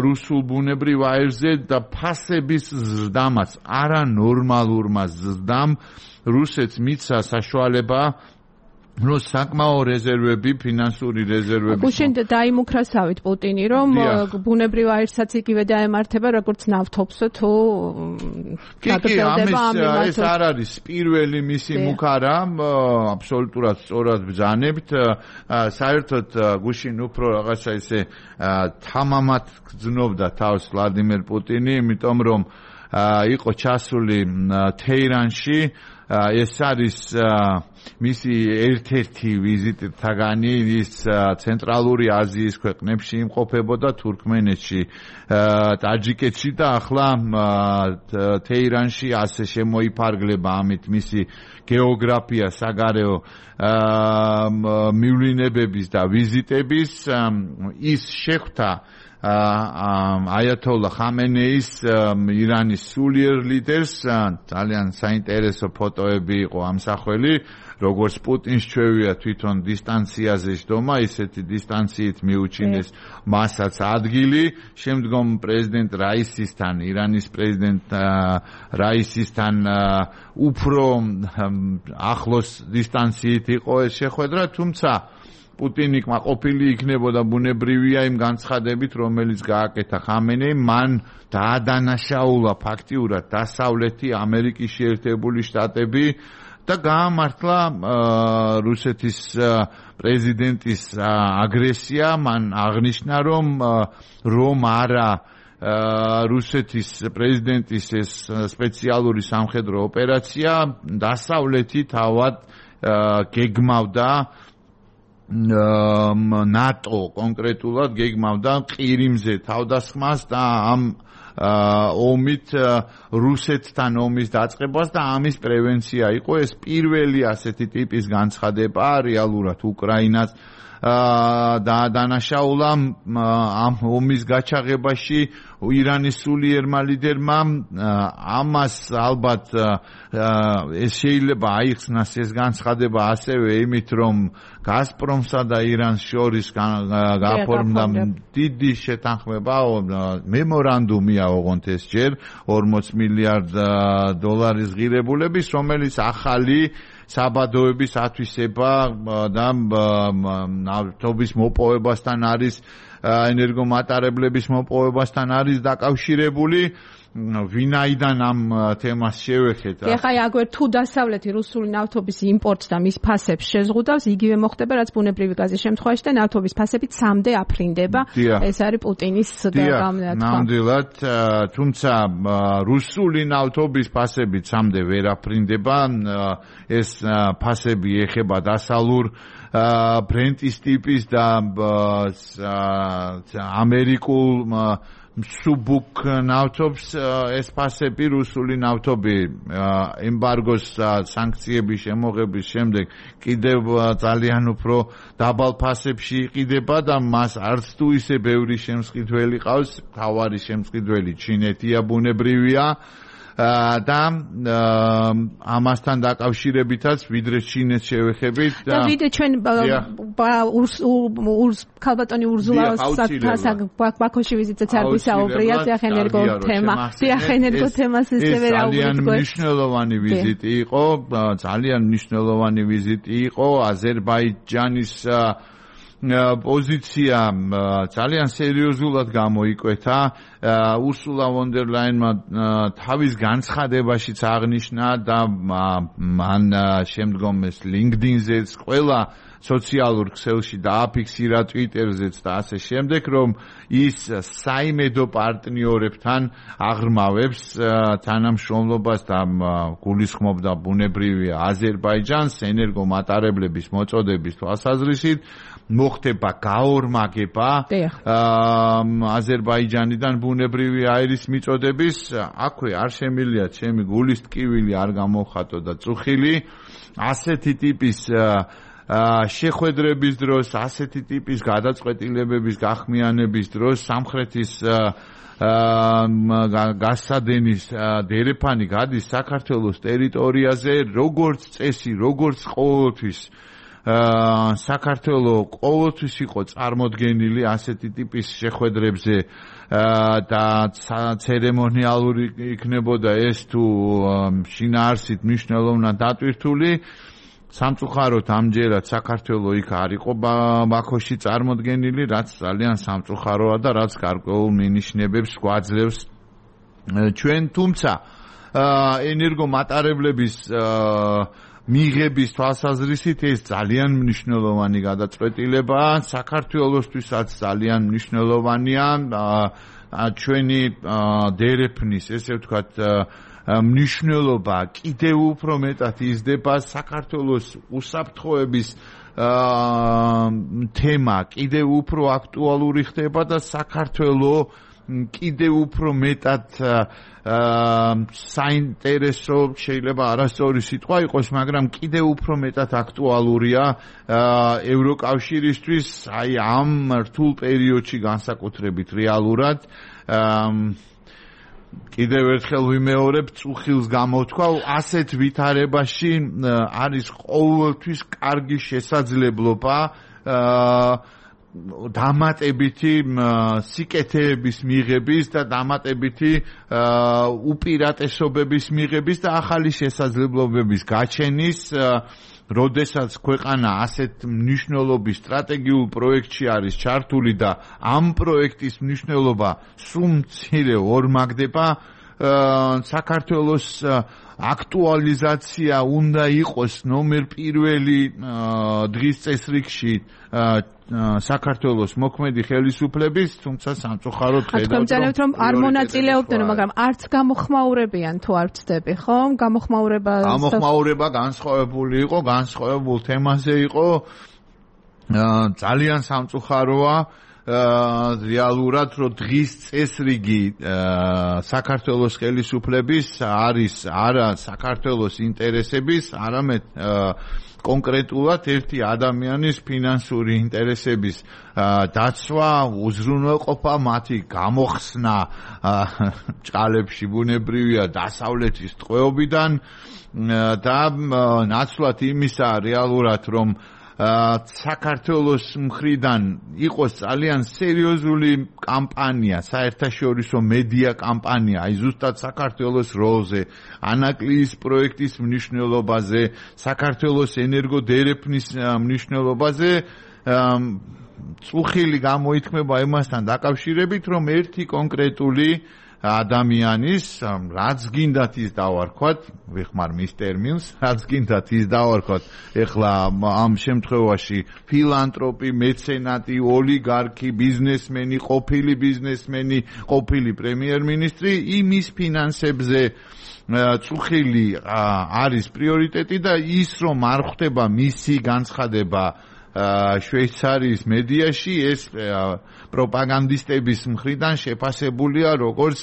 რუსულ ბუნებრივ აირზე და ფასების ზრდამაც, არანორმალურმა ზრდამ რუსეთს მიცა საშუალება რომ საკმაო რეზერვები, ფინანსური რეზერვები. გუშინ დაიმუქრასავით პუტინი, რომ ბუნებრივ აირსაც იგივე დაემართება, როგორც ნავთობს თუ გაგრძელდება ამ მიმართულებით. ეს არ არის პირველი მისი მუქარა, აბსოლუტურად სწორად ბრძანებთ. საერთოდ გუშინ უფრო რაღაცა ისე თამამად გრძნობდა თავს ვლადიმერ პუტინი, იმიტომ რომ იყო ჩასული თეირანში. ეს არის მისი ერთ-ერთი ვიზიტთაგანი, ის ცენტრალური აზიის ქვეყნებში იმყოფებოდა, თურქმენეთში, ტაჯიკეთში და ახლა თეირანში ასე შემოიფარგლება ამით მისი გეოგრაფია საგარეო მივლინებების და ვიზიტების. ის შეხვდა აიათოლა ხამენეის, ირანის სულიერ ლიდერს, ძალიან საინტერესო ფოტოები იყო ამსახველი, როგორც პუტინს ჩვევია თვითონ დისტანციაზე შდომა, ისეთი დისტანციით მიუჩინეს მასაც ადგილი, შემდგომ პრეზიდენტ რაისისთან, ირანის პრეზიდენტ რაისისთან უფრო ახლოს დისტანციით იყო ეს შეხვედრა, თუმცა პუტინი კმაყოფილი იქნებოდა ბუნებრივია იმ განცხადებით, რომელიც გააკეთა ხამენეიმ, მან დაადანაშაულა ფაქტიურად დასავლეთი ამერიკის შეერთებული შტატები და გაამართლა რუსეთის პრეზიდენტის აგრესია. მან აღნიშნა, რომ არა რუსეთის პრეზიდენტის ეს სპეციალური სამხედრო ოპერაცია დასავლეთი თავად გეგმავდა ნატო კონკრეტულად გეგმავდა ყირიმზე თავდასხმას და ამ ომით რუსეთთან ომის დაწყებას და ამის პრევენცია იყო. ეს პირველი ასეთი ტიპის განცხადება რეალურად უკრაინას დაადანაშაულა ამ ომის გაჩაღებაში ირანის სულიერმა ლიდერმა. ამას ალბათ ეს შეიძლება აიხსნას ეს განცხადება ასევე იმით, რომ გაზპრომსა და ირანს შორის გაფორმდა დიდი შეთანხმება, მემორანდუმია ოღონდ ეს ჯერ 40 მილიარდ დოლარის ღირებულების, რომელიც ახალი საბადოების ათვისება და ნავთობის მოპოვებასთან არის, ენერგომატარებლების მოპოვებასთან არის დაკავშირებული. ვინაიდან ამ თემას შევეხეთ. ეხლა აგვერ თუ დასავლეთი რუსული ნავთობის იმპორტს და მის ფასებს შეზღუდავს, იგივე მოხდება, რაც ბუნებრივი გაზის შემთხვევაში და ნავთობის ფასები ცამდე აფრინდება. ეს არის პუტინის გამონათქვა. ნამდვილად, თუმცა რუსული ნავთობის ფასები ცამდე ვერ აფრინდება. ეს ფასები ეხება დასალურ ბრენტის ტიპის და ამერიკულ მსუბუქ ნავთობს ეს ფასები რუსული ნავთობი ემბარგოს სანქციების შემოღების შემდეგ კიდევ ძალიან უფრო დაბალ ფასებში იყიდება და მას არც თუ ისე ბევრი შემსყიდველი ყავს, თავარი შემსყიდველი ჩინეთია ბუნებრივია და ამასთან დაკავშირებითაც ვიდრე ჩინეთს შევეხებით და ვიდრე ჩვენ ქალბატონი ურზულას ბაქოში ვიზიტაც არ ვისაუბრია დიახენერგო თემა დიახენერგო თემას ისევე რა უბრალოდ ძალიან მნიშვნელოვანი ვიზიტი იყო აზერბაიჯანის პოზიცია ძალიან სერიოზულად გამოიკვეთა ურსულა ვონ დერ ლაინმა თავის განცხადებაშიც აღნიშნა და მან შემდგომ ეს LinkedIn-ზეც ყველა სოციალურ ქსელში დააფიქსირა Twitter-ზეც და ასე შემდეგ რომ ის საიმედო პარტნიორებთან აღრმავებს თანამშრომლობას და გულისხმობდა ბუნებრივია აზერბაიჯანს ენერგომატარებლების მოწოდების თვალსაზრისით მოხდება გაორმაგება აზერბაიჯანიდან ბუნებრივი აირის მიწოდების აქვე არ შემილია ჩემი გულის ტკივილი არ გამოვხატო და წუხილი ასეთი ტიპის შეხვედრების დროს ასეთი ტიპის გადაწყვეტილებების გახმიანების დროს სამხრეთის გასადენის დერეფანი გადის საქართველოს ტერიტორიაზე როგორც წესი როგორც ყოველთვის საქართველოს ყოველთვის იყო წარმოდგენილი ასეთი ტიპის შეხვედრებზე და ცერემონიალური იქნებოდა ეს თუ შინაარსით მნიშვნელოვნად დატვირთული სამწუხაროდ ამჯერად საქართველოს იქ არ იყო ბაქოში წარმოდგენილი რაც ძალიან სამწუხაროა და რაც გარკვეულ მინიშნებებს გვაძლევს ჩვენ თუმცა ენერგომატარებლების მიღების თვალსაზრისით ეს ძალიან მნიშვნელოვანი გადაწყვეტილებაა საქართველოსთვისაც ძალიან მნიშვნელოვანია ჩვენი დერეფნის ესე ვთქვათ მნიშვნელობა კიდევ უფრო მეტად იზრდება საქართველოს უსაფრთხოების თემა კიდევ უფრო აქტუალური ხდება და საქართველოს კიდევ უფრო მეტად საინტერესო შეიძლება არასწორი სიტყვა იყოს, მაგრამ კიდევ უფრო მეტად აქტუალურია ევროკავშირისთვის აი ამ რთულ პერიოდში განსაკუთრებით რეალურად კიდევ ერთხელ ვიმეორებ წუხილს გამოთქვა ასეთ ვითარებაში არის ყოველთვის კარგი შესაძლებლობა დამატებითი სიკეთეების მიღების და დამატებითი უპირატესობების მიღების და ახალი შესაძლებლობების გაჩენის როდესაც ქვეყანა ასეთ მნიშვნელობის სტრატეგიულ პროექტში არის ჩართული და ამ პროექტის მნიშვნელობა სულ მცირე ორმაგდება საქართველოს აქტუალიზაცია უნდა იყოს ნომერ პირველი დღის წესრიგში საქართველოს მოქმედი ხელისუფლების, თუმცა სამწუხაროდ ხედავთ რომ არ მონაწილეობდნენ, მაგრამ არც გამოხმაურებიან თუ არ ვწდები, ხო? გამოხმაურება განსხვავებული იყო, განსხვავებულ თემაზე იყო. ძალიან სამწუხაროა რეალურად რომ დღის წესრიგი საქართველოს ხელისუფლების არის არა საქართველოს ინტერესების, არამედ კონკრეტულად ერთი ადამიანის ფინანსური ინტერესების დაცვა, უზრუნველყოფა, მათი გამოხსნა ჭალებში ბუნებრივია დასავლეთის ტყვეობიდან და ნაცვლად იმისა რეალურად რომ საქართველოს მხრიდან იყოს ძალიან სერიოზული კამპანია, საერთაშორისო მედია კამპანია, აი ზუსტად საქართველოს როლზე, ანაკლიის პროექტის მნიშვნელობაზე, საქართველოს ენერგოდერეფნის მნიშვნელობაზე, წუხილი გამოითქმება იმასთან დაკავშირებით, რომ ერთი კონკრეტული ადამიანის, რაც გინდათ ის დავარქვათ, ვიხმარ მის ტერმინს, რაც გინდათ ის დავარქვათ, ეხლა ამ შემთხვევაში ფილანტროპი, მეცენატი, ოლიგარქი, ბიზნესმენი, ყოფილი პრემიერ-მინისტრი, იმის ფინანსებზე წუხილი არის პრიორიტეტი და ის რომ არ ხდება მისი განცხადება შვეიცარიის მედიაში ეს პროპაგანდისტების მხრიდან შეფასებულია როგორც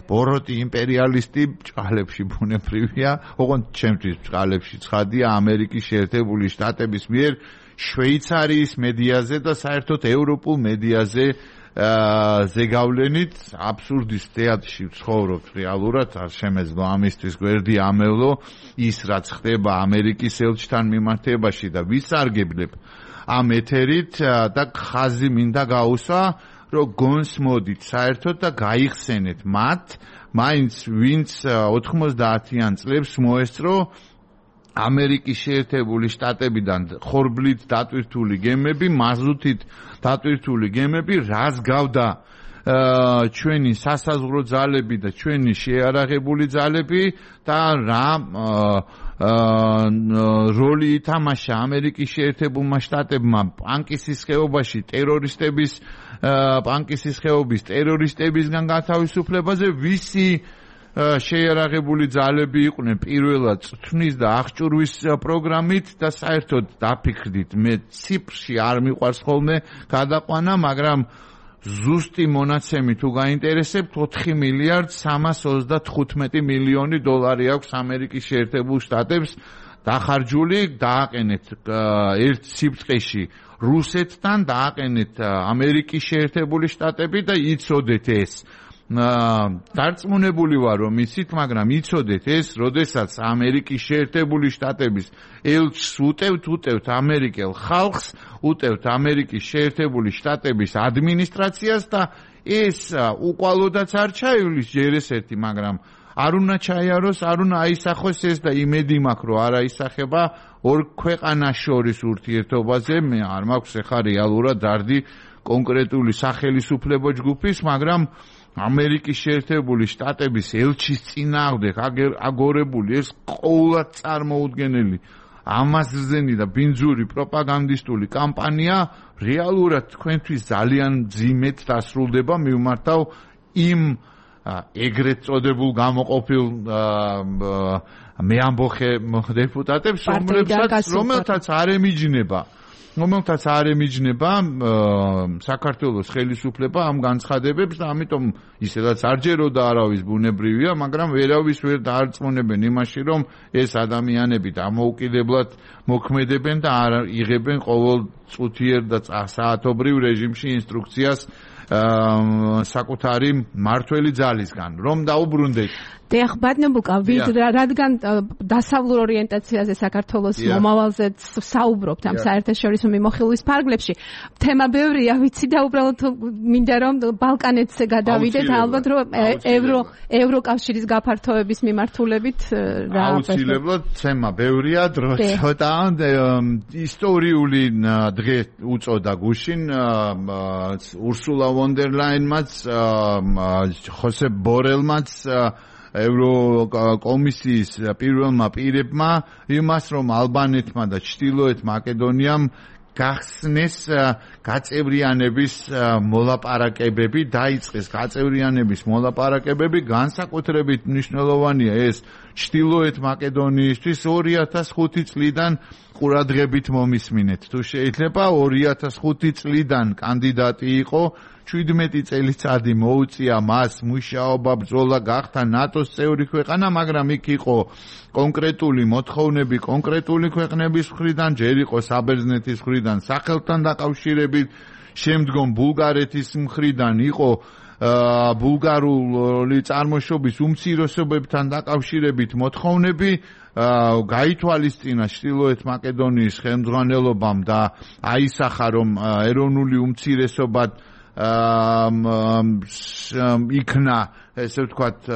ბოროტი იმპერიალისტი ბრჭყალებში ბუნებრივია, ოღონდ ჩემთვის ბრჭყალებში ცხადია ამერიკის შეერთებული შტატების მიერ შვეიცარიის მედიაზე და საერთოდ ევროპულ მედიაზე ზეგავლენით აბსურდის თეატრში ვცხოვრობ რეალურად არ შემეძლო ამისთვის გვერდი ამევლო ის რაც ხდება ამერიკის ელჩთან მიმართებაში და ვისარგებლებ ამ ეთერით და ხაზი მინდა გაუსვა რომ გონს მოდით საერთოდ და გაიხსენეთ მათ მაინც ვინც 90-იან წლებს მოესწრო ამერიკის შეერთებული შტატებიდან ხორბლით დატვირთული გემები, მაზუთით დატვირთული გემები, რას გავდა ჩვენი სასაზღვრო ძალები და ჩვენი შეიარაღებული ძალები და რა როლი ითამაშა ამერიკის შეერთებულმა შტატებმა პანკისის ხეობაში პანკისის ხეობის ტერორისტებისგან გათავისუფლებაზე ვისი შეიარაღებული ძალები იყვნენ პირველად წვნის და აღჭურვის პროგრამით და საერთოდ დაფიქრდით მე ციფრში არ მიყვარს ხოლმე გადაყვანა მაგრამ ზუსტი მონაცემი თუ გაინტერესებთ 4 მილიარდ 335 მილიონი დოლარი აქვს ამერიკის შეერთებულ შტატებს დახარჯული დააყენეთ ერთ სიბრტყეში რუსეთთან დააყენეთ ამერიკის შეერთებული შტატები და იცოდეთ ეს დარწმუნებული ვარ რომ იცით მაგრამ იცოდეთ ეს როდესაც ამერიკის შეერთებული შტატების ელჩს უტევთ ამერიკელ ხალხს უტევთ ამერიკის შეერთებული შტატების ადმინისტრაციას და ეს უყვალოდაც არ ჩაივლის ჯერ ესეთი მაგრამ არ უნდა ჩაიაროს არ უნდა აისახოს ეს და იმედი მაქვს რომ არ აისახება ორ ქვეყანას შორის ურთიერთობაზე მე არ მაქვს ეხა რეალურად დარდი კონკრეტული სახელისუფლებო ჯგუფის მაგრამ ამერიკის შეერთებული შტატების ელჩის წინააღმდეგ აგორებული ეს ყოველად წარმოუდგენელი ამაზრზენი და ბინძური პროპაგანდისტული კამპანია რეალურად თქვენთვის ძალიან ძიმედ დასრულდება მივმართავ იმ ეგრეთ წოდებულ გამოყოფილ მეამბოხე დეპუტატებს რომელთაც არ ემიჯნება საქართველოს ხელისუფლება ამ განცხადებებს და ამიტომ ისედაც არ ჯეროდა არავის ბუნებრივია, მაგრამ ვერავის ვერ დაარწმუნებენ იმაში, რომ ეს ადამიანები დამოუკიდებლად მოქმედებენ და არ იღებენ ყოველ წუთიერ და საათობრივ რეჟიმში ინსტრუქციას საკუთარი მართველი ძალისგან, რომ დაუბრუნდეთ. დიახ, ბატონბუკა, რადგან დასავლურ ორიენტაციაზე საქართველოს მომავალზე საუბრობთ ამ საერთაშორისო მიმოხილვის ფარგლებში, თემა ბევრია, ვიცი და უბრალოდ მინდა რომ ბალკანეთზე გადავიდეთ, ალბათ რომ ევროკავშირის გაფართოების მიმართულებით რა აუცილებლად თემა ბევრია, დრო ცოტა ისტორიული დღე უწოდა გუშინ ურსულა ვონ დერ ლაინმაც ხოსე ბორელმაც ევროკომისიის პირველმა პირებმა იმას რომ ალბანეთმა და ჩრდილოეთ მაკედონიამ გახსნეს გაწევრიანების მოლაპარაკებები დაიწყეს გაწევრიანების მოლაპარაკებები განსაკუთრებით მნიშვნელოვანია ეს ჩრდილოეთ მაკედონიისთვის 2005 წლიდან ყურადღებით მომისმინეთ თუ შეიძლება 2005 წლიდან კანდიდატი იყო 17 წელიწადი მოუწია მას მუშაობა ბრძოლა გახდა ნატოს წევრი ქვეყანა მაგრამ იქ იყო კონკრეტული მოთხოვნები კონკრეტული ქვეყნების მხრიდან ჯერ იყო საბერძნეთის მხრიდან სახელთან დაკავშირებით შემდგომ ბულგარეთის მხრიდან იყო ბულგარული წარმოშობის უმცირესობებთან დაკავშირებით მოთხოვნები გაითვალისწინა ჩრდილოეთ მაკედონიის ხელმძღვანელობამ და აისახა რომ ეროვნული უმცირესობა იქნა ესე ვთქვათ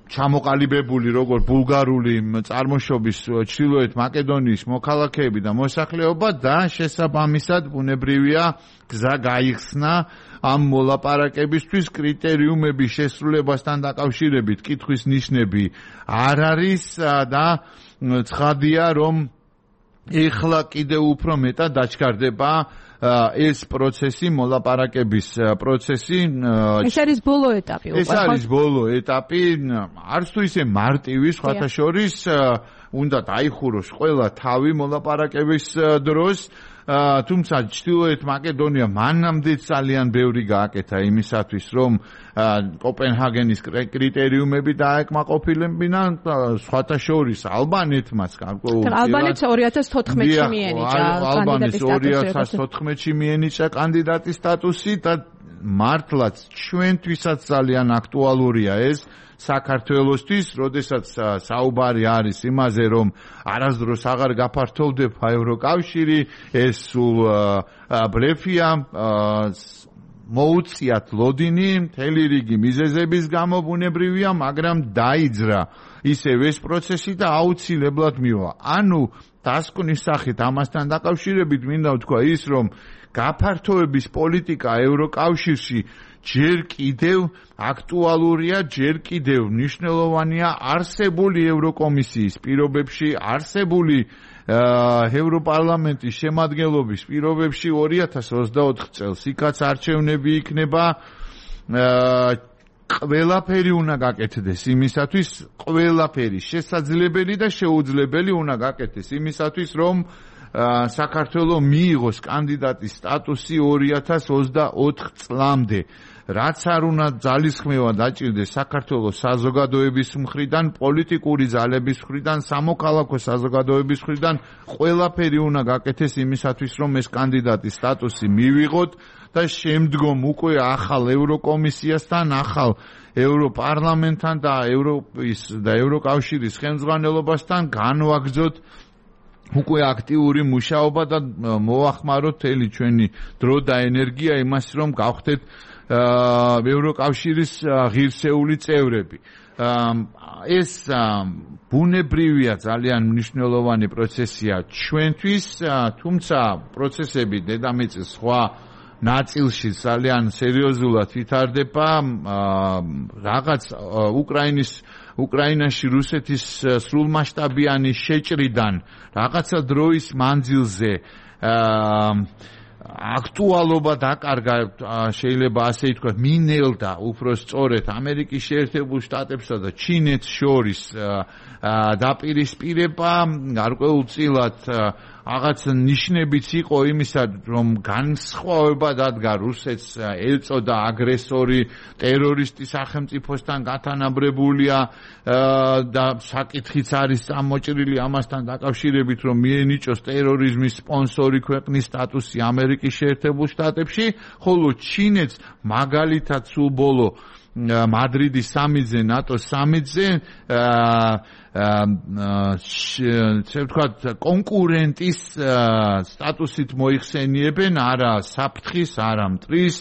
ჩამოყალიბებული როგორ ბულგარული წარმოშობის ჩრდილოეთ მაკედონიის მოქალაქეები და მოსახლეობა და შესაბამისად ბუნებრივია გზა გაიხსნა ამ მოლაპარაკებისთვის კრიტერიუმების შესრულებასთან დაკავშირებით კითხვის ნიშნები არ არის და ცხადია რომ ეხლა კიდევ უფრო მეტად დაჩქარდება ეს პროცესი მოლაპარაკების პროცესი ეს არის ბოლო ეტაპი ეს არის ბოლო ეტაპი არც თუ ისე მარტივი სხვათა შორის უნდა დაიხუროს ყველა თავი მოლაპარაკების დროს. თუმცა ჩრდილოეთ მაკედონია მანამდე ძალიან ბევრი გააკეთა იმისათვის, რომ კოპენჰაგენის კრიტერიუმები დაეკმაყოფილებინა, სხვათა შორის ალბანეთმაც გარკვეულ ალბანეთს 2014-ში მიენიჭა ალბანეთს 2014-ში მიენიჭა კანდიდატის სტატუსი და მართლაც ჩვენთვისაც ძალიან აქტუალურია ეს საქართველოსთვის, როდესაც საუბარი არის იმაზე, რომ არასდროს აღარ გაფართოვდება ევროკავშირი, ეს სულ ბლეფია, მოუწიათ ლოდინი, მთელი რიგი მიზეზების გამო ბუნებრივია, მაგრამ დაიძრა ისევ ეს პროცესი და აუცილებლად მივა. ანუ დასკვნის სახით ამასთან დაკავშირებით მინდა ვთქვა ის, რომ გაფართოების პოლიტიკა ევროკავშირში ჯერ კიდევ აქტუალურია, ჯერ კიდევ მნიშვნელოვანია არსებული ევროკომისიის პირობებში, არსებული ევროპარლამენტის შემადგენლობის პირობებში 2024 წელს იქაც არჩევნები იქნება, ყველაფერი უნდა გაკეთდეს იმისათვის, ყველაფერი შესაძლებელი და შეუძლებელი უნდა გაკეთდეს იმისათვის, რომ საქართველოს მიიღოს კანდიდატის სტატუსი 2024 წლამდე. რაც არ უნდა ძალისხმევა დაჭირდეს საქართველოს საზოგადოების მხრიდან, პოლიტიკური ძალების მხრიდან, სამოქალაქო საზოგადოების მხრიდან, ყველაფერი უნდა გაკეთდეს იმისათვის, რომ ეს კანდიდატის სტატუსი მივიღოთ და შემდგომ უკვე ახალ ევროკომისიასთან, ახალ ევროპარლამენტთან და ევროპის და ევროკავშირის ხელმძღვანელობასთან განვაგრძოთ უკვე აქტიური მუშაობა და მოახმაროთ მთელი ჩვენი დრო და ენერგია იმას, რომ გავხდეთ ევროკავშირის ღირსეული წევრები. ეს ბუნებრივია ძალიან მნიშვნელოვანი პროცესია ჩვენთვის, თუმცა პროცესები დედამიწის სხვა ნაწილში ძალიან სერიოზულად ვითარდება. რაღაც უკრაინაში რუსეთის სრულმასშტაბიანი შეჭრიდან რაღაცა დროის მანძილზე აქტუალობა დაკარგა, შეიძლება ასე ითქვას, მინელდა უფრო სწორედ ამერიკის შეერთებულ შტატებსა და ჩინეთს შორის დაპირისპირება, გარკვეულწილად რაღაც ნიშნებიც იყო იმისა, რომ განსხვავება დადგა რუსეთს ეწოდა აგრესორი, ტერორისტი სახელმწიფოსთან გათანაბრებულია და საკითხიც არის წამოჭრილი ამასთან დაკავშირებით, რომ მიენიჭოს ტერორიზმის სპონსორი ქვეყნის სტატუსი ამერიკის შეერთებულ შტატებში, ხოლო ჩინეთს მაგალითად სულ ბოლო მადრიდის სამიტზე, ნატოს სამიტზე კონკურენტის სტატუსით მოიხსენიებენ, არა საფრთხის, არა მტრის.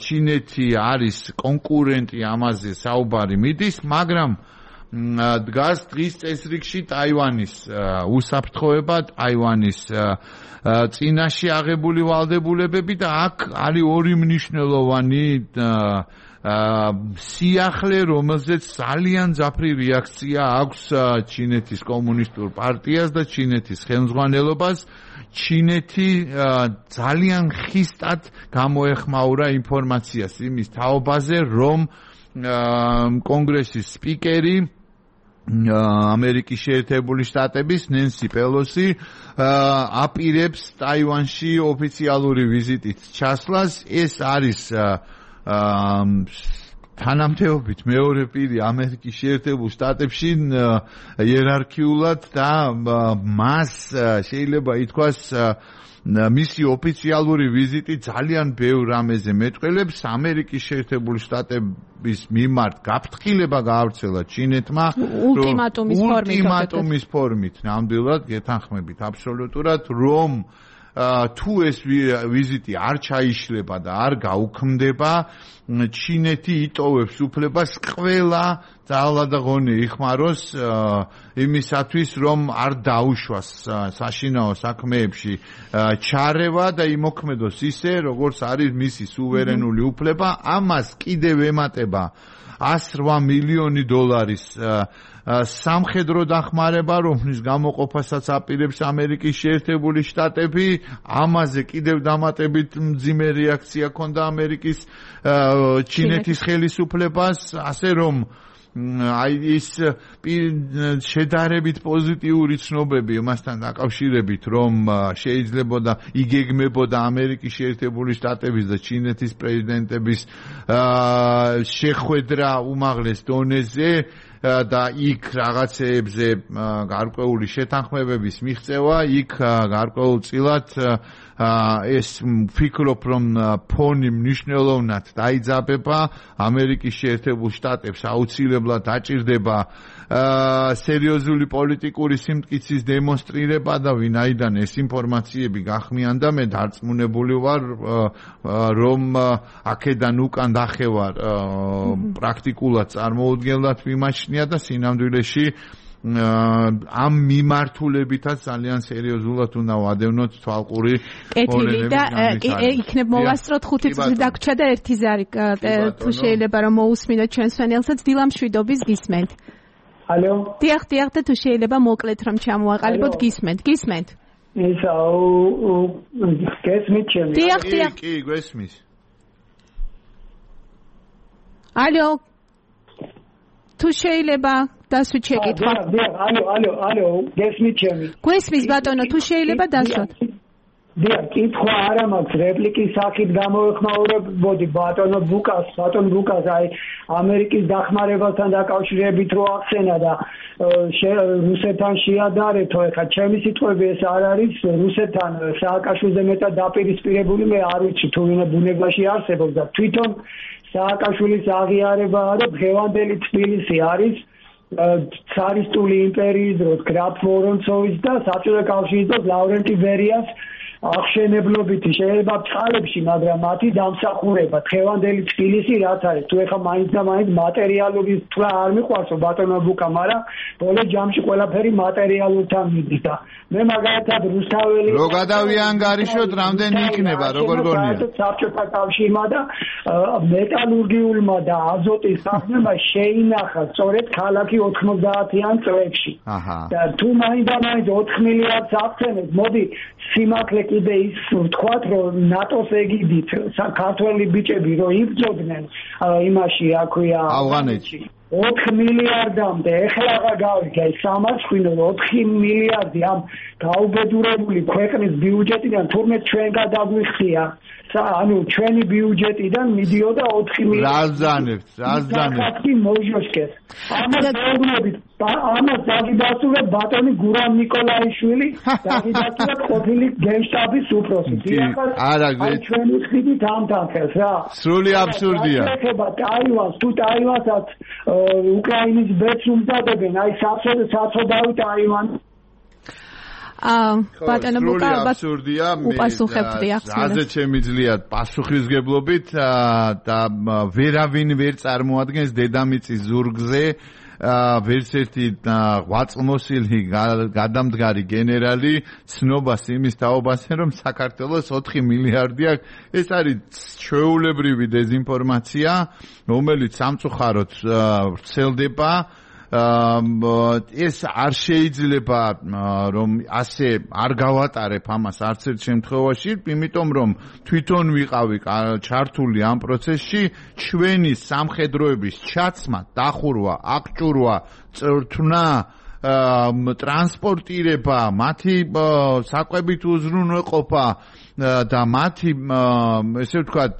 ჩინეთი არის კონკურენტი, ამაზე საუბარი მიდის, მაგრამ დგას დღის წესრიგში ტაივანის უსაფრთხოება, ტაივანის წინაშე აღებული ვალდებულებები და აქ არის ორი მნიშვნელოვანი სიახლე, რომელზეც ძალიან ძაფრი რეაქცია აქვს ჩინეთის კომუნისტურ პარტიას და ჩინეთის ხელმძღვანელობას. ჩინეთი ძალიან ხისტად გამოეხმაურა ინფორმაციას იმის თაობაზე, რომ კონგრესის სპიკერი ამერიკის შეერთებული შტატების ნენსი პელოსი აპირებს ტაივანში ოფიციალური ვიზიტით ჩასვლას. ეს არის თანამდებობით მეორე პირი ამერიკის შეერთებულ შტატებში იერარქიულად და მას შეიძლება ითქვას მისი ოფიციალური ვიზიტი ძალიან ბევრ რამეზე მეტყველებს. ამერიკის შეერთებული შტატების მიმართ გაფრთხილება გაავრცელა ჩინეთმა ულტიმატუმის ფორმით, ნამდვილად გეთანხმებით აბსოლუტურად, რომ თუ ეს ვიზიტი არ ჩაიშლება და არ გაუქმდება, ჩინეთი იტოვებს უფლებას ყველა ძალა და ღონე იხმაროს იმისათვის, რომ არ დაუშვას საშინაო საქმეებში ჩარევა და იმოქმედოს ისე, როგორც არის მისი სუვერენული უფლება. ამას კიდევ ემატება 108 მილიონი დოლარის სამხედრო დახმარება, რომლის გამოყოფასაც აპირებს ამერიკის შეერთებული შტატები. ამაზე კიდევ დამატებით მძიმე რეაქცია ჰქონდა ამერიკის ჩინეთის ხელისუფლებას, ასე რომ აი ის შედარებით პოზიტიური ცნობები მასთან დაკავშირებით, რომ შეიძლებოდა იგეგმებოდა ამერიკის შეერთებული შტატების და ჩინეთის პრეზიდენტების შეხვედრა უმაღლეს დონეზე და იქ რაღაცეებზე გარკვეული შეთანხმებების მიღწევა, იქ გარკვეულწილად ეს ვფიქრობ, რომ ფონი მნიშვნელოვნად დაიძაბება, ამერიკის შეერთებულ შტატებს აუცილებლად დაჭირდება სერიოზული პოლიტიკური სიმტკიცის დემონსტრირება და ვინაიდან ეს ინფორმაციები გახმიანდა, მე დარწმუნებული ვარ, რომ აქედან უკან დახევარ პრაქტიკულად წარმოუდგენლად მიმაჩნია და სინამდვილეში ამ მიმართულებითაც ძალიან სერიოზულად უნდა ვადევნოთ თვალყური კეთილი და იქნებ მოვასწროთ 5 წუთი დაგვრჩა და 1 ზარი თუ შეიძლება რომ მოусმინოთ ჩვენს ფენელსაც დილამშვიდობის გისმენთ. ალო. დიახ და თუ შეიძლება მოკლედ რომ ჩამოაყალიბოთ გისმენთ. ისა გესმით ჩემი. დიახ. კი, გესმის. ალო. თუ შეიძლება დასვიჩეკით. ალო, გესმით ჩემი. გესმის ბატონო, თუ შეიძლება დასვათ. დიახ, კითხვა არა მაქვს, რეპლიკის სახით გამოვეხმაურებოდი ბატონო ბუკას, აი ამერიკის დახმარებასთან დაკავშირებით რო ახსენა და რუსეთთან შეადარეთო, ეხლა ჩემი სიტყვები ეს არ არის რუსეთთან სააკაშვილზე მეტად დაპირისპირებული, მე არ ვიცი თუ ვინ ბუნებაში არსებობს და თვითონ სააკაშვილის აღიარებაა და დღევანდელი თბილისი არის ცარისტული იმპერიის დროს გრაფ ვორონცოვის და საბჭოთა კავშირის დროს ლავრენტი ბერიას აღშენებლობითი შეიძლება წყალებში, მაგრამ მათი დამსახურება დღევანდელი თბილისი რაც არის, თუ ეხა მაინც და მაინც მატერიალური თვლა არ მიყვარსო ბატონო ბუკა, მაგრამ ბოლო ჯამში ყველაფერი მატერიალურთან მიდის და მე მაგალითად რუსთაველი რო გადავიანგარიშოთ, რამდენი იქნება, როგორ გონია? საბჭოთა კავშირმა და მეტალურგიულმა და აზოტის სახლმა შეინახა სწორედ ქალაქი 90-იან წლებში. და თუ მაინც და მაინც 4 მილიარდს აღწენებს, მოდი სიმართლე კიდე ის ვთქვათ, რომ ნატოს ეგიდით საქართველოს ბიჭები რო იბრძოდნენ იმაში, აქვია ავღანეთში 4 მილიარდამდე, ეხლა აღარ გავიგე, 4 მილიარდი ამ გაუბედურებული ქვეყნის ბიუჯეტიდან თურმე ჩვენ გადაგვიხსია, ანუ ჩვენი ბიუჯეტიდან მიდიოდა 4 მილიარდი. რაზანებთ მოჟოშკეს. ამას დაგიდასტურა ბატონი გურამ ნიკოლაიშვილი, დაგიდასტურა ყოფილი გენშტაბის უფროსი. არა, ჩვენი ხიდით ამთანხეს რა. სრული აბსურდია. თუ ტაივანსაც უკრაინის ბედს უმზადებენ, აი საცოდავი ტაივანი. ბატონო ბუკა აბსურდია, უპასუხებთ რეაქციას. რაზეც შემიძლიათ პასუხისგებლობით და ვერავინ ვერ წარმოადგენს დედამიწის ზურგზე ვერც ერთი ღვაწლმოსილი გადამდგარი გენერალი ცნობას იმის თაობაზე, რომ საქართველოს 4 მილიარდი აქვს. ეს არის ჩვეულებრივი დეზინფორმაცია, რომელიც სამწუხაროდ ვრცელდება. ეს არ შეიძლება რომ ასე არ გავატარებ ამას არც ერთ შემთხვევაში, იმიტომ რომ თვითონ ვიყავი ჩართული ამ პროცესში, ჩვენი სამხედროების ჩაცმა, დახურვა, აღჭურვა, წვრთნა, ტრანსპორტირება, მათი საკვებით უზრუნველყოფა და მათი ესე ვთქვათ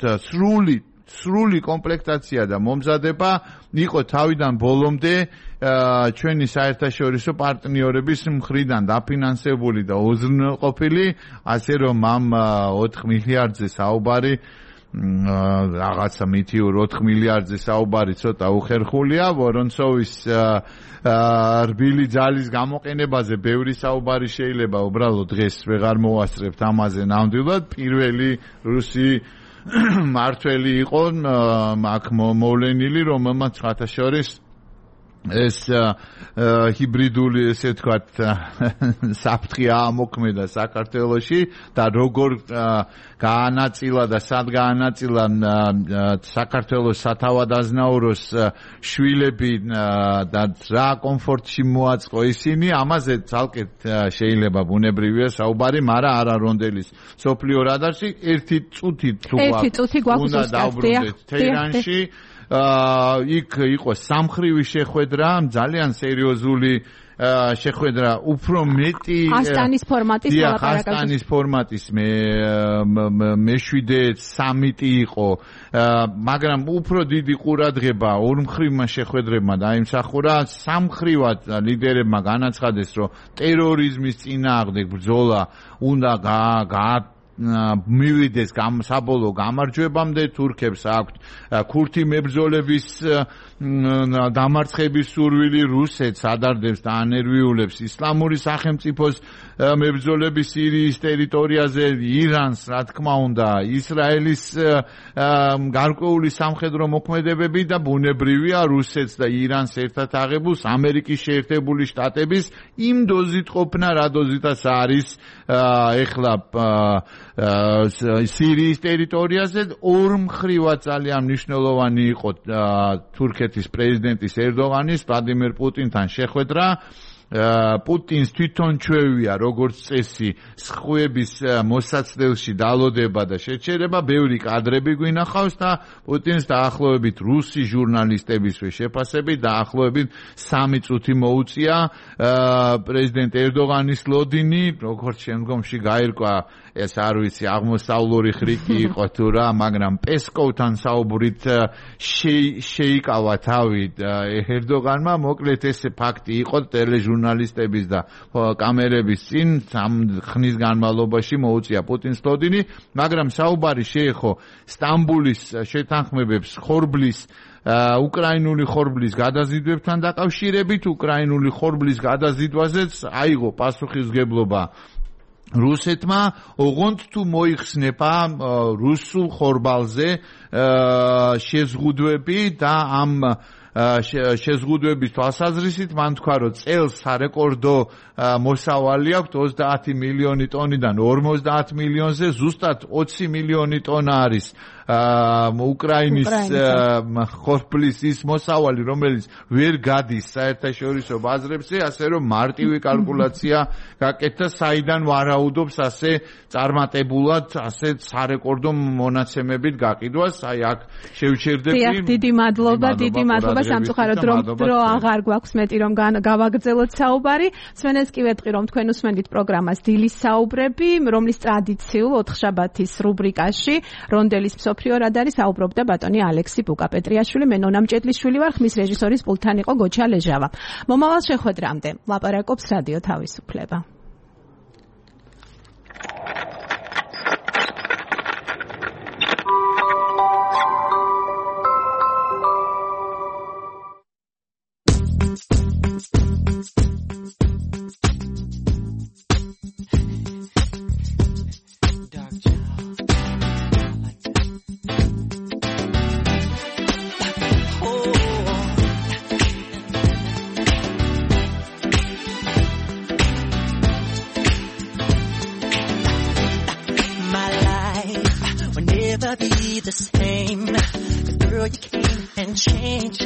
სრული კომპლექტაცია და მომზადება იყო თავიდან ბოლომდე ჩვენი საერთაშორისო პარტნიორების მხრიდან დაფინანსებული და უზრუნველყოფილი, ასე რომ ამ 4 მილიარდზე საუბარი რაღაცა მითიურ 4 მილიარდზე საუბარი ცოტა უხერხულია. ვორონცოვის რბილი ძალის გამოყენებაზე ბევრი საუბარი შეიძლება, უბრალოდ დღეს ვეღარ მოვასწრებთ ამაზე ნამდვილად. პირველი რუსი მართველი იყო აქ მოვლენილი, რომელმაც სხვათა შორის ეს ჰიბრიდული ესე ვთქვათ საფრთხე აამოქმედა საქართველოში და როგორ გაანაწილა და სად გაანაწილა საქართველოს სათავადაზნაუროს შვილები და რა კომფორტში მოაწყო ისინი, ამაზე ცალკე შეიძლება ბუნებრივია საუბარი, მაგრამ არა რონდელის სოფლიო რადარში. ერთი წუთი თუ გვაქვს უნდა დავბრუნდეთ თეირანში იქ იყო სამხრივი შეხვედრა, ძალიან სერიოზული შეხვედრა, უფრო მეტი ასტანის ფორმატის ლაპარაკი. ასტანის ფორმატის მეშვიდე სამიტი იყო, მაგრამ უფრო დიდი ყურადღება ორმხრივმა შეხვედრებმა დაიმსახურა. სამხრივად ლიდერებმა განაცხადეს, რომ ტერორიზმის წინააღმდეგ ბრძოლა უნდა მივიდეს საბოლოო გამარჯვებამდე. თურქებს აქვთ ქურთი მებრძოლების დამარცხების სურვილი, რუსეთს ადარდებს და ანერვიულებს ისლამური სახელმწიფოს მებრძოლების სირიის ტერიტორიაზე, ირანს, რა თქმა უნდა, ისრაელის გარკვეული სამხედრო მოქმედებები და ბუნებრივია რუსეთს და ირანს ერთად აღებულს ამერიკის შეერთებული შტატების იმ დოზით ყოფნა, რა დოზითაც არის ეხლა სირიის ტერიტორიაზე. ორმხრივად ძალიან მნიშვნელოვანი იყო თურქეთის პრეზიდენტის ერდოღანის ვლადიმერ პუტინთან შეხვედრა. პუტინს თვითონ ჩვევია როგორც წესი სხვების მოსაცდელში დალოდება და შეჩერება. ბევრი კადრები გვინახავს და პუტინს დაახლოებით რუსი ჟურნალისტებისვე შეფასებით დაახლოებით 3 წუთი მოუწია პრეზიდენტ ერდოღანის ლოდინი, როგორც შემდგომში გაირკვა ეს არ ვიცი აღმოსავლური ხრიკი იყო თუ რა, მაგრამ პესკოვთან საუბრით შეიკავა თავი ერდოღანმა. მოკლედ ეს ფაქტი იყო ტელეჟურნალისტების და კამერების წინ 3 ხნის განმავლობაში მოუწია პუტინს ლოდინი, მაგრამ საუბარი შეეხო სტამბულის შეთანხმებებს ხორბლის უკრაინული ხორბლის გადაზიდვებთან დაკავშირებით. უკრაინული ხორბლის გადაზიდვაზეც აიღო პასუხისმგებლობა რუსეთმა, ოღონდ თუ მოიხსნება რუსულ ხორბალზე შეზღუდვები და ამ შეზღუდვების თვალსაზრისით მან თქვა, რომ წელს სარეკორდო მოსავალი აქვს 30 მილიონი ტონიდან 50 მილიონზე, ზუსტად 20 მილიონი ტონა არის უკრაინის ხორბლის ის მოსავალი, რომელიც ვერ გადის საერთაშორისო ბაზრებზე, ასე რომ მარტივი კალკულაცია გაკეთდა, საიდან ვარაუდობს ასე წარმატებულად ასე სარეკორდო მონაცემებით გაყიდვას. აი აქ შევჩერდები. დიდი მადლობა სამწუხაროდ დრო აღარ გვაქვს მეტი რომ გავაგრძელოთ საუბარი. სვენეს კი ვეთყი რომ თქვენ უსმენთ პროგრამას დილის საუბრები, რომლის ტრადიციულ ოთხშაბათის რუბრიკაში რონდელის მსოფლიო რადარი საუბრობდა ბატონი ალექსი ბუკა-პეტრიაშვილი. მე ნონა მჭედლიშვილი ვარ, ხმის რეჟისორის პულტთან იყო გოჩა ლეჟავა. მომავალ შეხვედრამდე ლაპარაკობს რადიო თავისუფლება. The same, 'cause girl you came and changed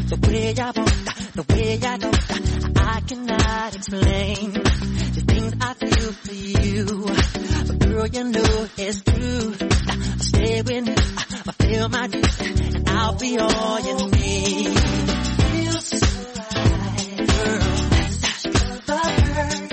the way I walk, the way I go. I cannot explain the things I feel for you, but girl you know it's true. I'll stay with you, I'll feel my dreams, and I'll be all you need. Feels so right, girl. That's the bird.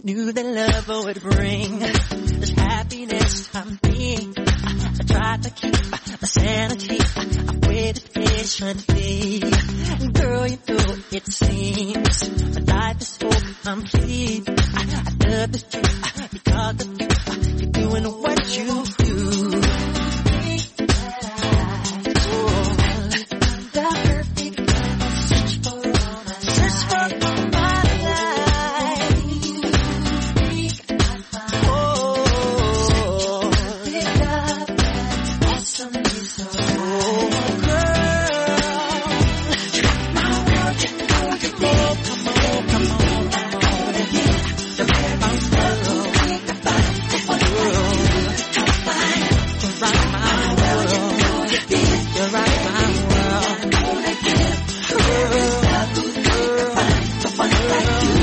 Knew that love would bring this happiness from me. I tried to keep my sanity. I waited patiently. Girl, you know it seems my life is so complete. I love the truth because of you. You're doing what you do. like you.